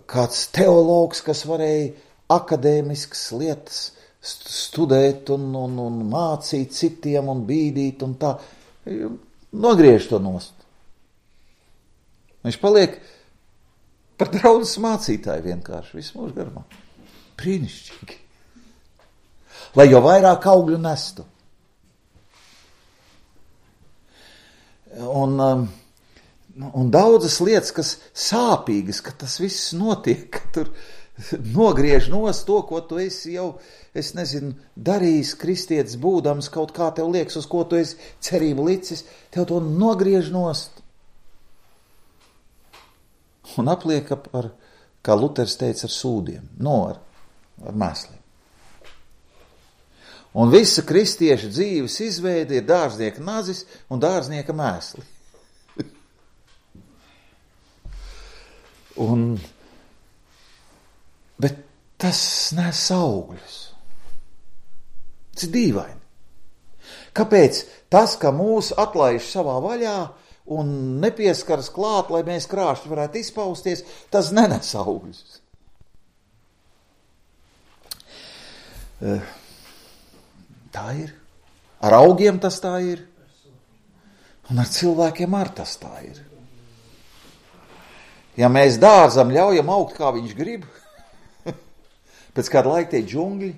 kāds teologs, kas varēja akadēmiskas lietas studēt un, un, un mācīt citiem un bīdīt un tā, nogriež to nost. Viņš paliek par draudzes mācītāju vienkārši visu mūžu garumā. Brīnišķīgi. Lai jau vairāk augļu nestu. Un... Um, Un daudzas lietas, kas sāpīgas, ka tas viss notiek, ka tur nogriež nost to, ko tu esi jau, es nezinu, darījis kristietis būdams, kaut kā tev liekas, uz ko tu esi cerību licis, tev to nogriež nost. Un apliek ar, kā Luters teica, ar sūdiem, no ar, ar mēsliem. Un visa kristieša dzīves izveide ir dārznieka nazis un dārznieka mēsli. Un, bet tas nes augļus. Tas ir dīvaini. Kāpēc tas, ka mūs atlaiž savā vaļā un nepieskaras klāt, lai mēs krāšņi varētu izpausties, tas nenes augļus? Tā ir. Ar augiem tas tā ir. Un ar cilvēkiem ar tas tā ir. Ja mēs dārzam ļaujam augt, kā viņš grib, pēc kāda laika tie džungļi,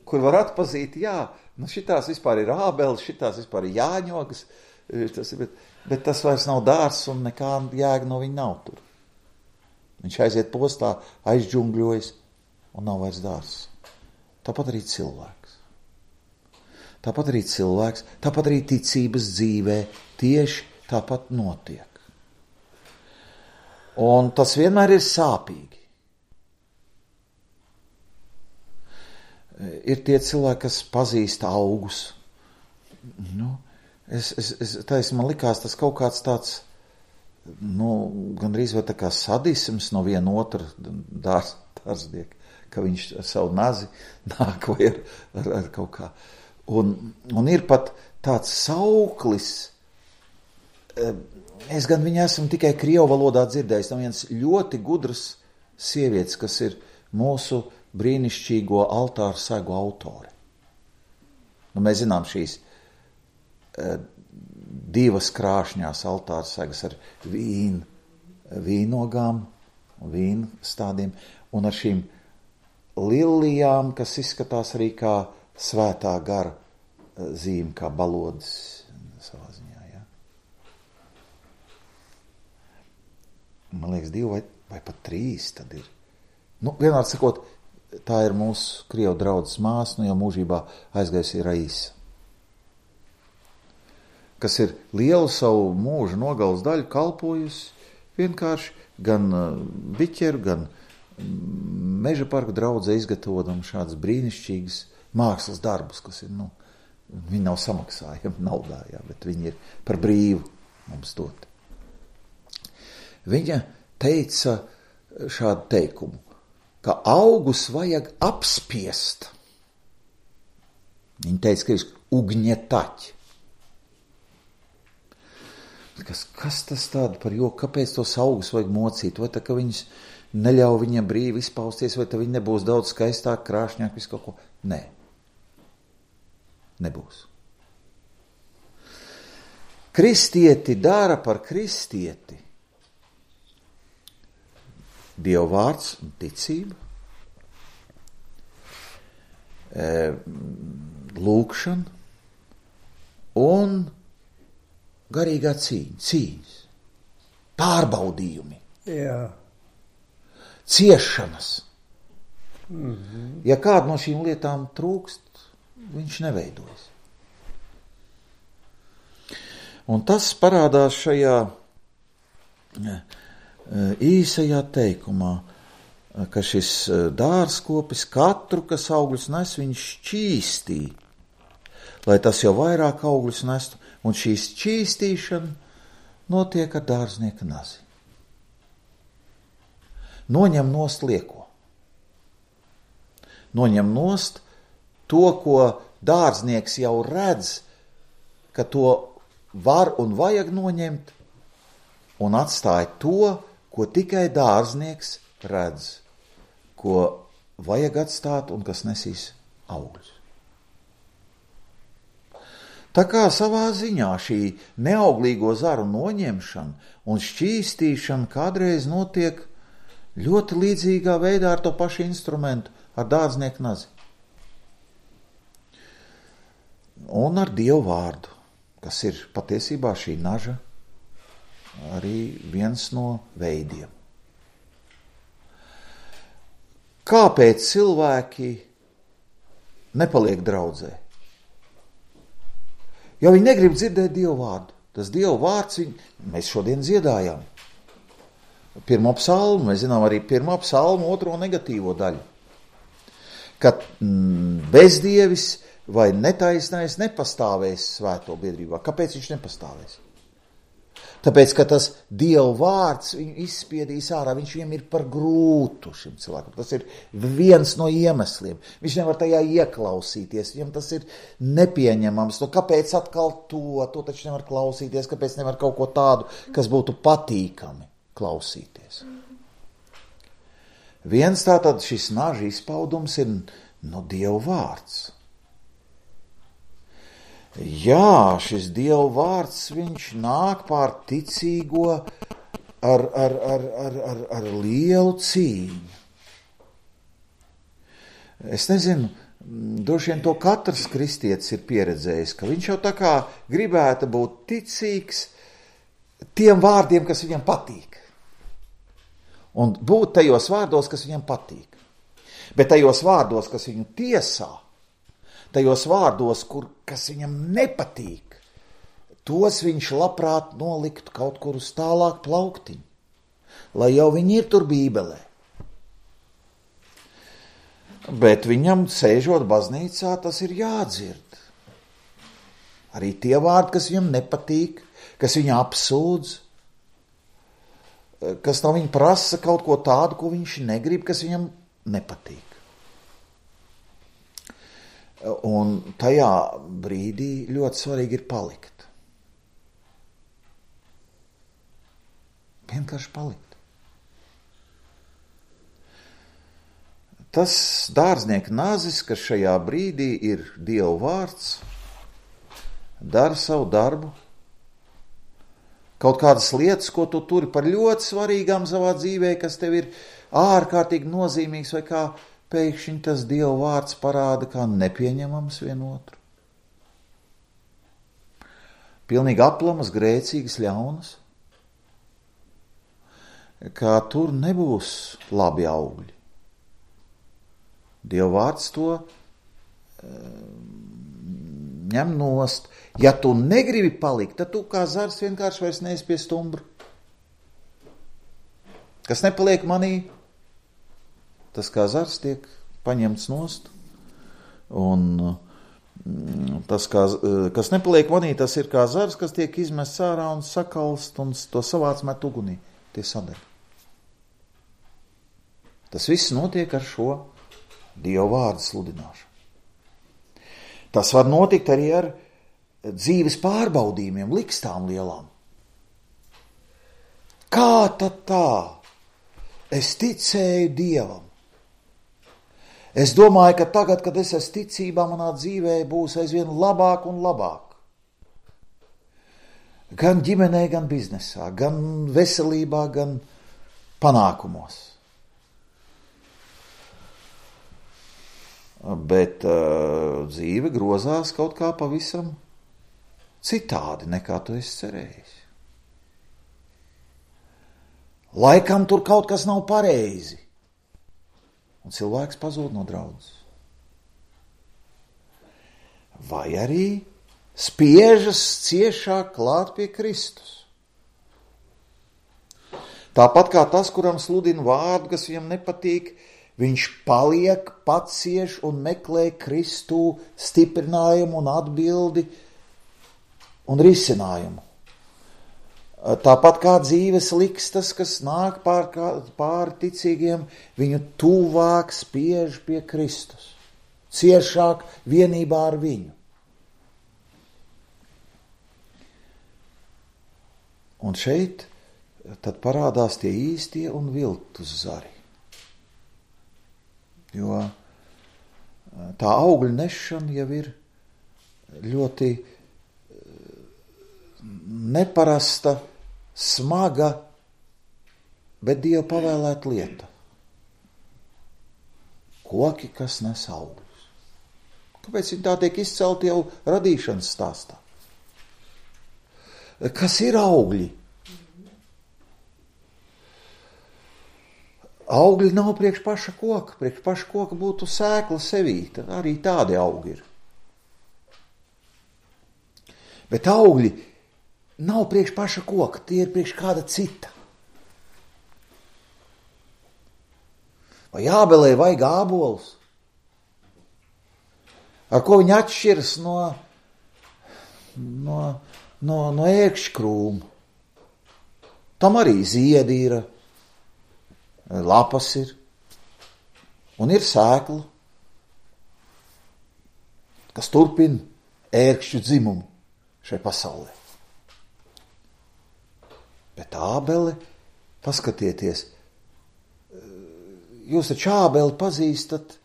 kur var atpazīt, jā, nu šitās vispār ir ābeles, šitās vispār ir jāņogas, tas ir, bet, bet tas vairs nav dārs un nekā jēga no viņa nav tur. Viņš aiziet postā, aizģungļojas un nav vairs dārs. Tāpat arī cilvēks. Tāpat arī cilvēks, tāpat arī ticības dzīvē tieši tāpat notiek. Un tas vienmēr ir sāpīgi. Ir tie cilvēki, kas pazīst augus. Nu, es, es, es, taisa, man likās tas kaut kāds tāds, nu, gandrīz vai tā kā sadisms no viena otra dārs, dārznieka, ka viņš ar savu nazi nāk vai ar, ar, ar kaut kā. Un, un ir pat tāds sauklis, es gan viņu esmu tikai krievu valodā dzirdējis, tam viens ļoti gudrs sievietes, kas ir mūsu brīnišķīgo altāru segu autori. Nu, mēs zinām šīs uh, divas krāšņās altāru segas ar vīnu, vīnogām, vīnu stādiem, un ar šīm lilijām, kas izskatās arī kā svētā gara uh, zīme, kā balodas savā ziņā. Ja? Man liekas, divi vai, vai pat trīs tad ir. Nu, vienmēr sakot, tā ir mūsu krievu draudzes māsa, nu jau mūžībā aizgājusi Raisa, kas ir lielu savu mūžu nogalas daļu kalpojusi vienkārši gan biķeru, gan meža parka draudzē izgatavojam šādas brīnišķīgas mākslas darbus, kas ir, nu, viņi nav samaksājami naudā, jā, bet viņi ir par brīvu mums dot. Viņa teica šādu teikumu, ka augus vajag apspiest. Viņa teica, ka ir ugņetaķi. Kas, kas tas tāda par joku? Kāpēc tos augus vajag mocīt? Vai tā, ka viņas neļauj viņam brīvi izpausties, vai tā viņi nebūs daudz skaistāk, krāšņāk, visu kaut ko? Nē. Nebūs. Kristieti dara par kristieti Dieva vārds un ticība, lūkšana un garīgā cīņa, cīņas, pārbaudījumi, Jā. ciešanas. Mm-hmm. Ja kāda no šīm lietām trūkst, viņš neveidojas. Un tas parādās šajā īsajā teikumā, ka šis dārzkopis katru, kas augļus nes, viņš šķīstī, lai tas jau vairāk augļus nestu, un šī šķīstīšana notiek ar dārznieka nazi. Noņem nost lieko. Noņem nost to, ko dārznieks jau redz, ka to var un vajag noņemt, un atstāja to, ko tikai dārznieks redz, ko vajag atstāt un kas nesīs augļus. Tā kā savā ziņā šī neauglīgo zaru noņemšana un šķīstīšana kādreiz notiek ļoti līdzīgā veidā ar to pašu instrumentu, ar dārznieku nazi. Un ar Dievu vārdu, kas ir patiesībā šī naža arī viens no veidiem. Kāpēc cilvēki nepaliek draudzē? Jo viņi negrib dzirdēt Dievu vārdu. Tas Dievu vārds, viņi, mēs šodien dziedājām. Pirmo psalmu, mēs zinām arī pirmo psalmu, otro negatīvo daļu. Kad mm, bezdievis vai netaisnais nepastāvēs svēto biedrībā. Kāpēc viņš nepastāvēs? Tāpēc, ka tas Dieva vārds viņu izspiedīs ārā, viņš viņam ir par grūtu šim cilvēkam. Tas ir viens no iemesliem. Viņš nevar tajā ieklausīties, viņam tas ir nepieņemams. Nu, kāpēc atkal to? To taču nevar klausīties, kāpēc nevar kaut ko tādu, kas būtu patīkami klausīties. Viens tātad šis naža izpaudums ir no Dieva vārds. Jā, šis Dieva vārds, viņš nāk pār ticīgo ar, ar, ar, ar, ar, ar lielu cīņu. Es nezinu, droši vien to katrs kristietis ir pieredzējis, ka viņš jau tā kā gribētu būt ticīgs tiem vārdiem, kas viņam patīk. Un būt tajos vārdos, kas viņam patīk. Bet tajos vārdos, kas viņu tiesā, tajos vārdos, kur, kas viņam nepatīk, tos viņš labprāt noliktu kaut kur uz tālāk plauktiņu, lai jau viņi ir tur bībelē. Bet viņam, sēžot baznīcā, tas ir jādzird. Arī tie vārdi, kas viņam nepatīk, kas viņu apsūdz, kas no viņa prasa kaut ko tādu, ko viņš negrib, kas viņam nepatīk. Un tajā brīdī ļoti svarīgi ir palikt. Vienkārši palikt. Tas dārznieka nazis, kas šajā brīdī ir Dieva vārds, dara savu darbu. Kaut kādas lietas, ko tu turi par ļoti svarīgām savā dzīvē, kas tev ir ārkārtīgi nozīmīgs, vai kā pēkšņi tas Dieva vārds parāda kā nepieņemams vienotru. Pilnīgi aplamas, grēcīgas, ļaunas, kā tur nebūs labi augļi. Dieva vārds to ņem nost. Ja tu negribi palikt, tad tu kā zars vienkārši vairs neesi pie stumbra. Kas nepaliek manī, tas kā zars tiek paņemts nost. Un tas, kā, kas nepaliek manī, tas ir kā zars, kas tiek izmests ārā un sakalst un to savāc met ugunī. Tie sadeg. Tas viss notiek ar šo Dieva vārdu sludināšanu. Tas var notikt arī ar dzīves pārbaudījumiem, likstām lielām. Kā tad tā? Es ticēju Dievam. Es domāju, ka tagad, kad es esmu ticībā, manā dzīvē būs aizvien labāk un labāk. Gan ģimenē, gan biznesā, gan veselībā, gan panākumos. Bet uh, dzīve grozās kaut kā pavisam citādi, nekā tu esi cerējis. Laikam tur kaut kas nav pareizi, un cilvēks pazūd no draudzes. Vai arī spiežas ciešāk klāt pie Kristus. Tāpat kā tas, kuram sludina vārdu, kas viņam nepatīk, viņš paliek, pacieš un meklē Kristū stiprinājumu un atbildi un risinājumu. Tāpat kā dzīves likstas, kas nāk pār, pāri ticīgiem, viņu tuvāk spiež pie Kristus, ciešāk vienībā ar viņu. Un šeit tad parādās tie īstie un viltus zari. Jo tā augļu nešana jau ir ļoti neparasta, smaga, bet Dieva pavēlēta lieta. Koki, kas nes augļus. Kāpēc viņi tā tiek izcelti jau radīšanas stāstā? Kas ir augļi? Augļi nav priekš paša koka. Priekš paša koka būtu sēkla sevī. Tad arī tādi augi ir. Bet augļi nav priekš paša koka. Tie ir priekš kāda cita. Vai Ābelē vajag ābolus? Ar ko viņi atšķiras no, no, no, no ērkšķkrūma? Tam arī ziedi ir, lapas ir, un ir sēkla, kas turpina ērkšķu dzimumu šai pasaulē. Bet Ābele, paskatieties, jūs taču Ābeli pazīstat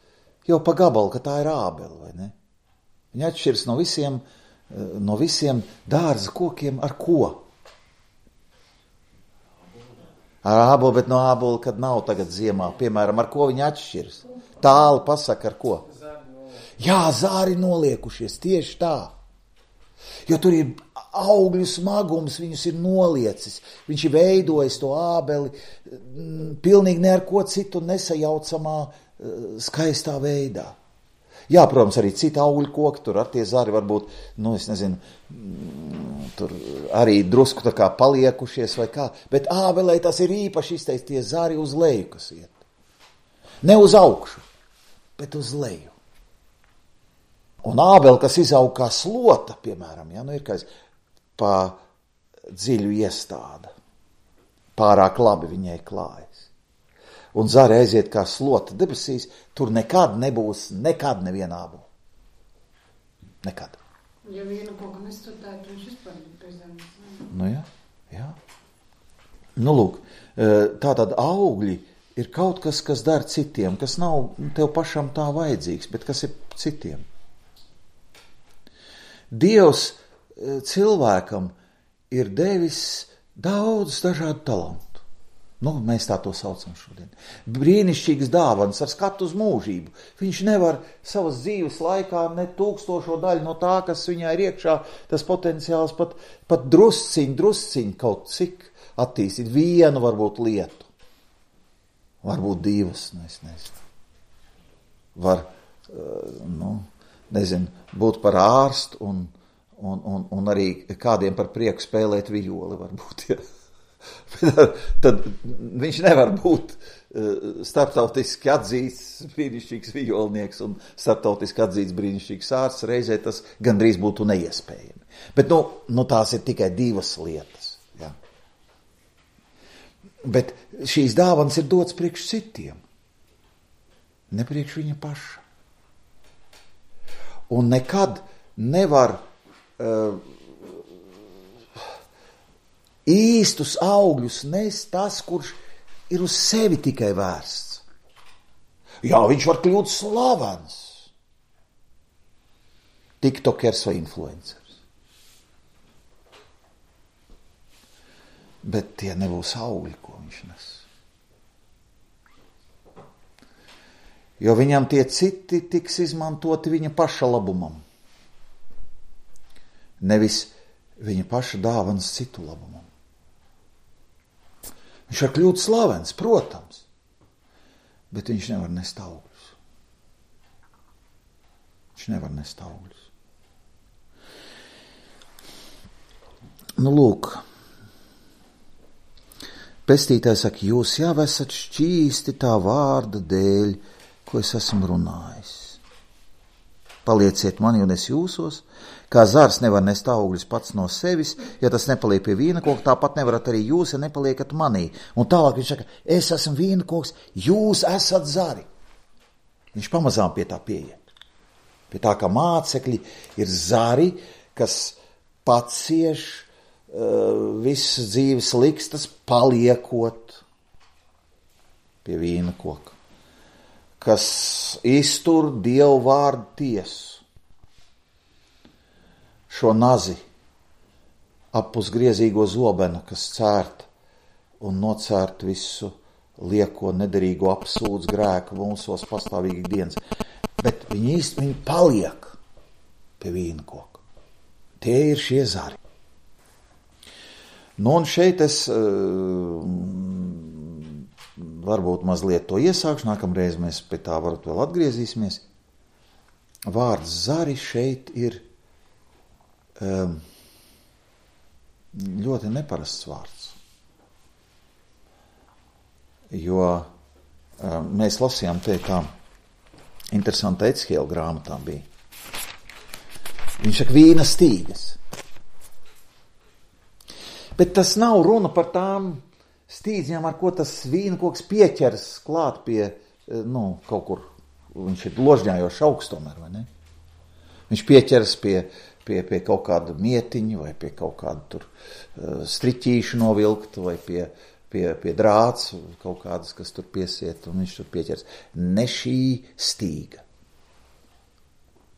jau pa gabalu, ka tā ir Ābele, vai ne? Viņa atšķiras no visiem, no visiem dārza kokiem ar ko? Ar ābolu, bet no ābola, kad nav tagad ziemā, piemēram, ar ko viņa atšķiras? Tāli pasaka, ar ko? Jā, zāri noliekušies, tieši tā. Jo tur ir augļu smagums, viņus ir noliecis. Viņš ir veidojis to ābeli pilnīgi ne ar ko citu nesajaucamā, skaistā veidā. Jā, protams, arī citi augļu koki, tur ar tie zari varbūt, nu, es nezinu, tur arī drusku tā kā paliekušies vai kā, bet ābelē tas ir īpaši izteicis tie zari uz leju, kas iet. Ne uz augšu, bet uz leju. Un ābele, kas izaug kā slota, piemēram, ja, nu ir kā pa dziļu iestāda, pārāk labi viņai klājas. Un zari aiziet kā slota debesīs, tur nekad nebūs, nekad neviena ābola. Nekad. Ja vienu kaut ko nestudētu, viņš vispār pēc zemes. Nu jā, jā. Nu lūk, tātad augļi ir kaut kas, kas dar citiem, kas nav tev pašam tā vajadzīgs, bet kas ir citiem. Dievs cilvēkam ir devis daudz dažādu talantu. Nu, mēs tā to saucam šodien. Brīnišķīgas dāvanas ar skatu uz mūžību. Viņš nevar savas dzīves laikā ne tūkstošo daļu no tā, kas viņā ir iekšā, tas potenciāls pat, pat drusciņ, drusciņ kaut cik attīstīt vienu varbūt lietu. Varbūt divas, nu es nezinu. Var, nu, nezinu, būt par ārstu un, un, un, un arī kādiem par prieku spēlēt vijoli varbūt, ja. Tad viņš nevar būt starptautiski atzīts brīnišķīgs vijolnieks un starptautiski atzīts brīnišķīgs ārsts, reizē tas gandrīz būtu neiespējami. Bet nu, nu tās ir tikai divas lietas. Ja. Bet šīs dāvanas ir dots priekš citiem, ne priekš viņa paša. Un nekad nevar uh, īstus augļus nes tas, kurš ir uz sevi tikai vērsts. Jā, viņš var kļūt slavens. Tiktokers vai influencers. Bet tie nebūs augļi, ko viņš nes. Jo viņam tie citi tiks izmantoti viņa paša labumam. Nevis viņa paša dāvanas citu labumam. Viņš var kļūt slavens, protams, bet viņš nevar nest augļus. Viņš nevar nest augļus. Nu, lūk, pestītājs saka, jūs jau esat šķīsti tā vārda dēļ, ko es esmu runājis. Palieciet mani un es jūsos, kā zars nevar nest augļus pats no sevis, ja tas nepaliek pie vīna koka, tāpat nevarat arī jūs, ja nepaliekat manī. Un tālāk viņš saka, es esmu vīna koks, jūs esat zari. Viņš pamazām pie tā pieiet. Pie tā, ka mācekļi ir zari, kas pacieš uh, visas dzīves likstas, paliekot pie vīna koka. Kas iztur Dievu vārdu tiesu. Šo nazi apus griezīgo zobenu, kas cērt un nocērt visu lieko nederīgo apsūdz grēku mūsos pastāvīgi dienas. Bet viņi īsti viņi paliek pie vīna koka. Tie ir šie zari. Nu un šeit es uh, varbūt mazliet to iesākšu, nākamreiz mēs pie tā varbūt vēl atgriezīsimies. Vārds zari šeit ir um, ļoti neparasts vārds. Jo um, mēs lasījām te kā interesanta Ecihēla grāmatā bija. Viņš saka vīna stīgas. Bet tas nav runa par tām stīdziņam, ar ko tas vīna koks pieķers klāt pie, nu, kaut kur, viņš ir ložņājošs augstomēr, vai ne? Viņš pieķers pie, pie, pie kaut kāda mietiņa, vai pie kaut kāda tur uh, striķīšu novilkt, vai pie, pie, pie drāts, kaut kādas, kas tur piesiet, un viņš tur pieķers. Ne šī stīga,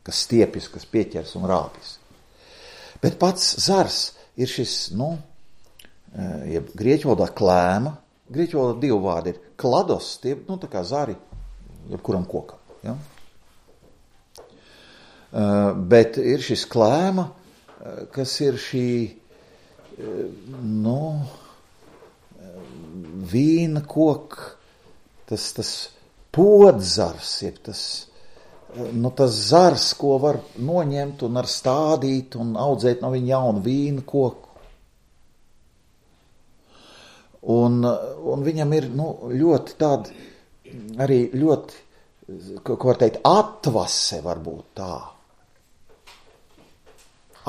kas stiepjas, kas pieķers un rāpjas. Bet pats zars ir šis, nu, ja grieķu valodā klēma, grieķu valodā divi vārdi ir klados, tie, nu, tā kā zari, jebkuram kokam, ja? Uh, bet ir šis klēma, uh, kas ir šī, uh, nu, vīna koka, tas, tas podzars, jeb tas, uh, nu, tas zars, ko var noņemt un ar stādīt un audzēt no viņa jaunu vīna koku. Un, un viņam ir, nu, ļoti tāda, arī ļoti, ko var teikt, atvase varbūt tā.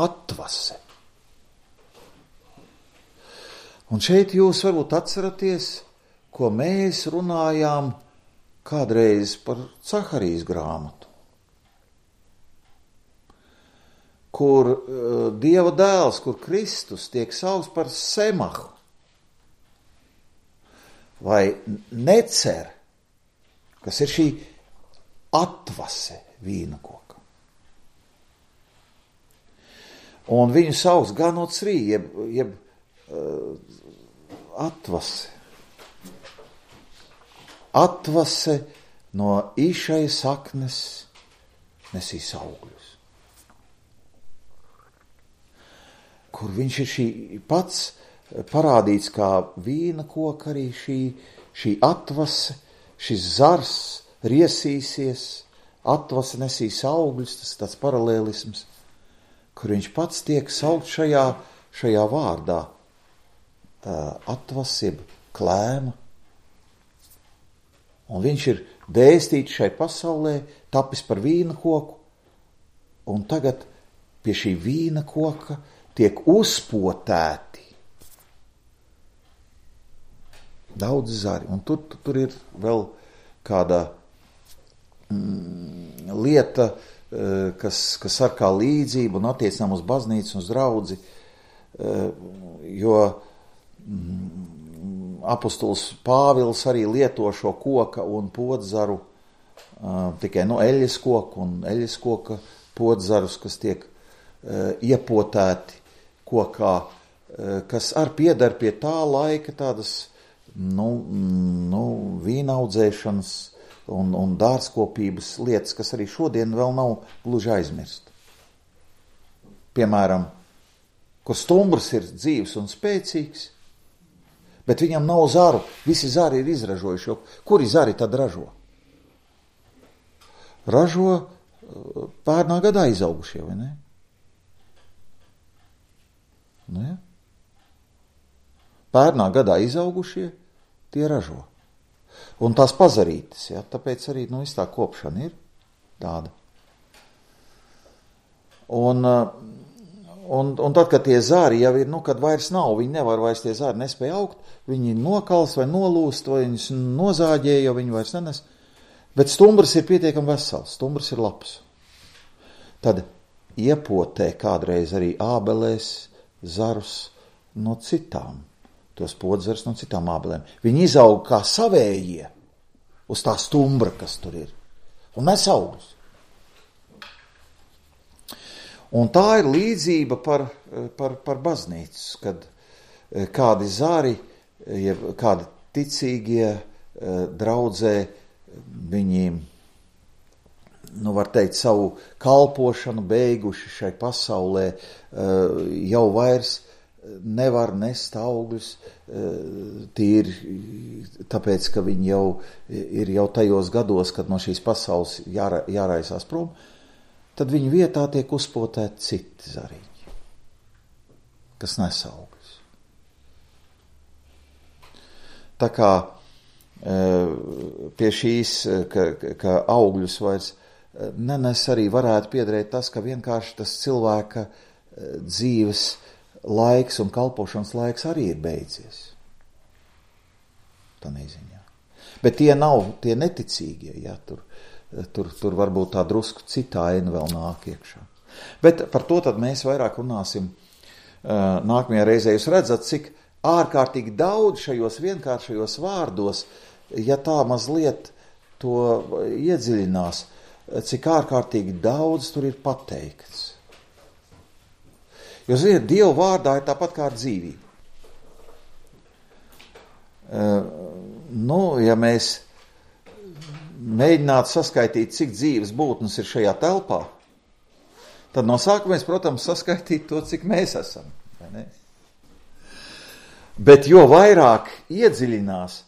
Atvase. Un šeit jūs varbūt atceraties, ko mēs runājām kādreiz par Caharijas grāmatu, kur uh, Dieva dēls, kur Kristus tiek saukts par Semahu, vai necer, kas ir šī atvase vīna koka. Un viņu sauc ganocrī, jeb, jeb uh, atvase. Atvase no īšai saknes nesīs augļus. Kur viņš ir šī pats parādīts kā vīna koka, arī šī, šī atvase, šis zars riesīsies, atvase nesīs augļus, tas ir tāds paralēlisms, kur viņš pats tiek saukt šajā, šajā vārdā, atvasība, klēma. Un viņš ir dēstīts šai pasaulē, tapis par vīna koku, un tagad pie šī vīna koka tiek uzpotēti daudz zari. Un tur, tur ir vēl kāda mm, lieta, kas, kas ar kā līdzību un attiecinām uz baznīcu un uz draudzi, jo mm, apostols Pāvils arī lieto šo koka un podzaru, tikai no eļas koku un eļas koka podzarus, kas tiek iepotēti kokā, kas ar piedar pie tā laika tādas nu, nu, vīnaudzēšanas un, un dārzkopības lietas, kas arī šodien vēl nav gluži aizmirst. Piemēram, kur stumbrs ir dzīvs un spēcīgs, bet viņam nav zaru, visi zari ir izražojuši, jo kuri zari tad ražo? Ražo pērnā gadā izaugušie, vai ne? Nu, ja? Pērnā gadā izaugušie, tie ražo. Un tās pazarītas, ja? Tāpēc arī, nu, viss tā kopšana ir tāda. Un, un, un tad, kad tie zāri jau ir, nu, kad vairs nav, viņi nevar vairs tie zāri nespēja augt, viņi nokals vai nolūst, vai viņus nozāģē, jo viņi vairs nenes. Bet stumbrs ir pietiekami vesels, stumbrs ir labs. Tad iepotē kādreiz arī ābelēs zarus no citām, tos podzars no citām ābelēm. Viņi izaug kā savējie uz tā stumbra, kas tur ir, un nes augļus. Un tā ir līdzība par, par, par baznīcu, kad kādi zari, ja kādi ticīgie draudzē, viņi, nu var teikt, savu kalpošanu beiguši šai pasaulē, jau vairs nevar nest augļus, tīri tāpēc, ka viņi jau ir jau tajos gados, kad no šīs pasaules jāra, jāraisās prom, tad viņu vietā tiek uzpotēti citi zariņi, kas nes augļus. Tā kā pie šīs, ka, ka augļus vairs nenes, arī varētu piederēt tas, ka vienkārši tas cilvēka dzīves laiks un kalpošanas laiks arī ir beidzies. tā neziņā. Bet tie nav tie neticīgie, ja, tur, tur, tur varbūt tā drusku citā aina vēl nāk iekšā. Bet par to tad mēs vairāk runāsim uh, nākamajā reizē. Jūs redzat, cik ārkārtīgi daudz šajos vienkāršajos vārdos, ja tā mazliet to iedziļinās, cik ārkārtīgi daudz tur ir pateikts. Jo, ziniet, Dieva vārdā ir tāpat kā dzīvība. Uh, nu, ja mēs mēģinātu saskaitīt, cik dzīves būtnes ir šajā telpā, tad no sākuma mēs, protams, saskaitītu to, cik mēs esam. Vai ne? Bet jo vairāk iedziļinās,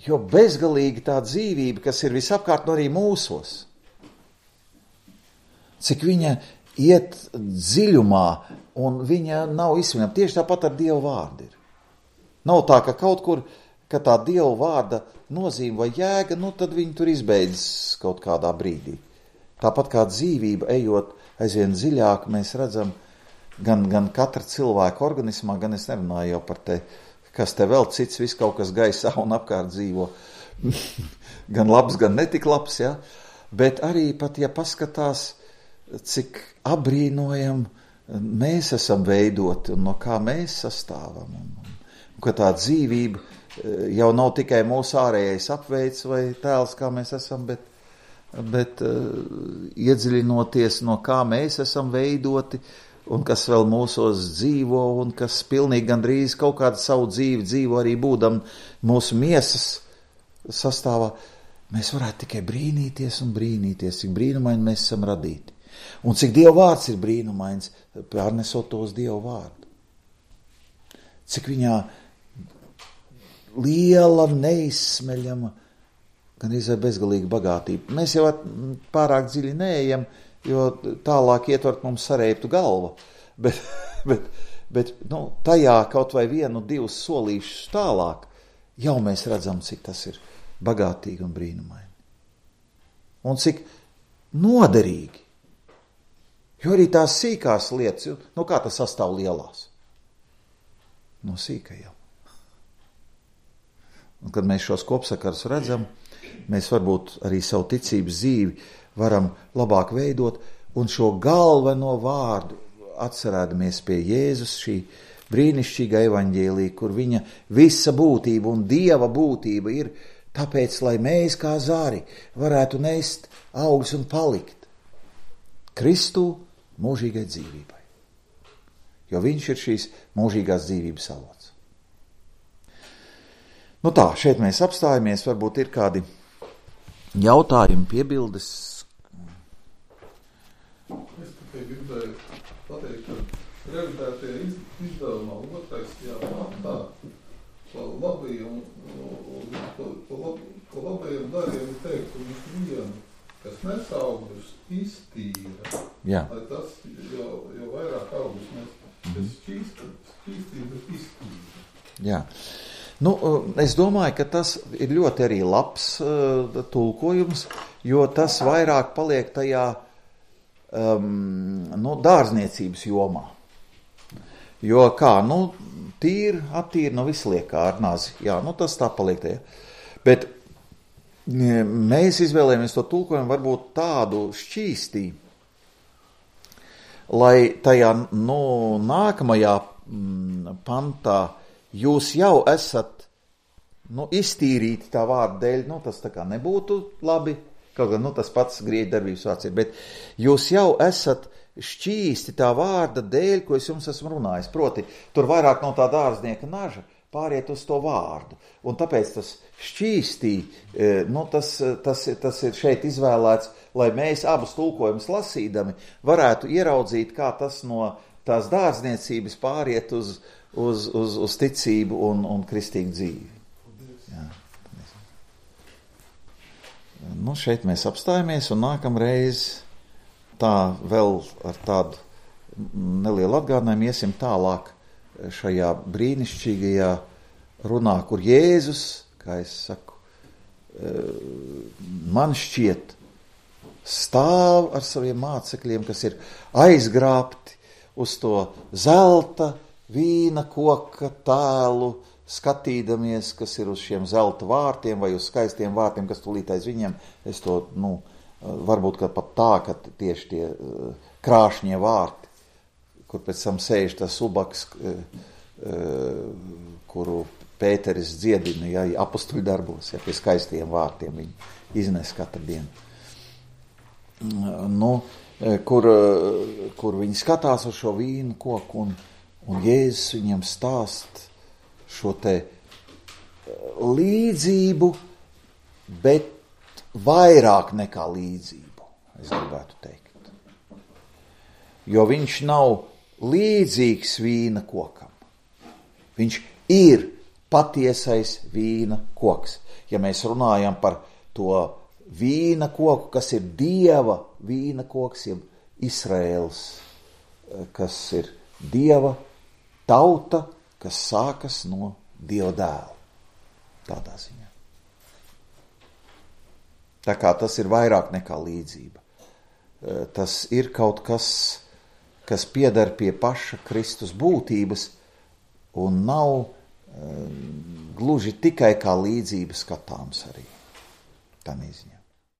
jo bezgalīgi tā dzīvība, kas ir visapkārt no arī mūsos, cik viņa iet dziļumā un viņa nav izsvinama. Tieši tāpat ar Dieva vārdu ir. Nav tā, ka kaut kur, ka tā Dieva vārda nozīme vai jēga, nu tad viņi tur izbeidzas kaut kādā brīdī. Tāpat kā dzīvība, ejot aizvien dziļāk, mēs redzam gan, gan katra cilvēka organismā, gan es nerunāju jau par te, kas te vēl cits, viss kaut kas gaisā un apkārt dzīvo, gan labs, gan netik labs, ja? Bet arī pat, ja paskatās, cik abrīnojam mēs esam veidoti un no kā mēs sastāvam, un, un, un ka tā dzīvība jau nav tikai mūsu ārējais apveids vai tēls, kā mēs esam, bet, bet uh, iedziļinoties, no kā mēs esam veidoti un kas vēl mūsos dzīvo un kas pilnīgi gandrīz kaut kādu savu dzīvi dzīvo arī būdam mūsu miesas sastāvā, mēs varētu tikai brīnīties un brīnīties, cik brīnumaini mēs esam radīti. Un cik Dieva vārds ir brīnumains, pārnesot to uz Dieva vārdu. Cik viņā liela, neizsmeļama, gan izvēl bezgalīga bagātība. Mēs jau pārāk dziļi neejam, jo tālāk ietvert mums sareiptu galva. Bet, bet, bet nu, tajā kaut vai vienu, divus solīšus tālāk, jau mēs redzam, cik tas ir bagātīgi un brīnumaini. Un cik noderīgi. Jo arī tās sīkās lietas, nu kā tas sastāv lielās? No sīkajām. Un kad mēs šos kopsakarus redzam, mēs varbūt arī savu ticības dzīvi varam labāk veidot un šo galveno vārdu atcerēdamies pie Jēzus, šī brīnišķīga evaņģēlija, kur viņa visa būtība un Dieva būtība ir tāpēc, lai mēs kā zari varētu nest augļus un palikt Kristū mūžīgai dzīvībai. Jo viņš ir šīs mūžīgās dzīvības avots. Nu tā, šeit mēs apstājamies, varbūt ir kādi jautājumi, piebildes. Es tikai gribēju pateikt, ka revidētie izdevumā otrais jāpār pa labajiem, pa labajiem dariem teikt, ka viņš vienu, kas nes augļus, iztīra. Jā. Lai tas jau, jau vairāk augļus nes, tas šķīsta, šķīstība, bet iztīra. Jā. Nu, es domāju, ka tas ir ļoti arī labs uh, tulkojums, jo tas vairāk paliek tajā um, nu, dārzniecības jomā. Jo kā, nu, tīri, attīri, nu, viss liek kā ar nazi. Jā, nu, tas tā paliek tajā. Bet mēs izvēlējamies to tulkojumu varbūt tādu šķīstī, lai tajā, nu, nākamajā mm, pantā jūs jau esat, nu, iztīrīti tā vārda dēļ, nu, tas tā kā nebūtu labi, kaut gan, nu, tas pats grieķu darbības vārds ir, bet jūs jau esat šķīsti tā vārda dēļ, ko es jums esmu runājis. Proti, tur vairāk no tā dārznieka naža pāriet uz to vārdu. Un tāpēc tas šķīstī, nu, tas, tas, tas ir šeit izvēlēts, lai mēs abus tulkojumus lasīdami varētu ieraudzīt, kā tas no tās dārzniecības pāriet uz Uz, uz, uz ticību un, un kristīgu dzīvi. Jā. Nu, šeit mēs apstājamies un nākamreiz tā vēl ar tādu nelielu atgādinājumu iesim tālāk šajā brīnišķīgajā runā, kur Jēzus, kā es saku, man šķiet, stāv ar saviem mācekļiem, kas ir aizgrābti uz to zelta, vīna koka tēlu skatīdamies, kas ir uz šiem zelta vārtiem vai uz skaistiem vārtiem, kas tūlīt aiz viņiem, es to, nu, varbūt ka pat tā, ka tieši tie krāšņie vārti, kur pēc tam sēž tas subaks, kuru Pēteris dziedina, ja, apustuļu darbos, ja, pie skaistiem vārtiem viņi iznes katru dienu. Nu, kur, kur viņi skatās uz šo vīnu koku un, un Jēzus viņam stāst šo te līdzību, bet vairāk nekā līdzību, es gribētu teikt. Jo viņš nav līdzīgs vīna kokam. Viņš ir patiesais vīna koks. Ja mēs runājam par to vīna koku, kas ir Dieva vīna koks, jeb Izraēls, kas ir Dieva tauta, kas sākas no Dieva dēla. Tādā ziņā. Tā kā tas ir vairāk nekā līdzība. Tas ir kaut kas, kas pieder pie paša Kristus būtības un nav gluži tikai kā līdzība skatāms arī. Tā neziņā.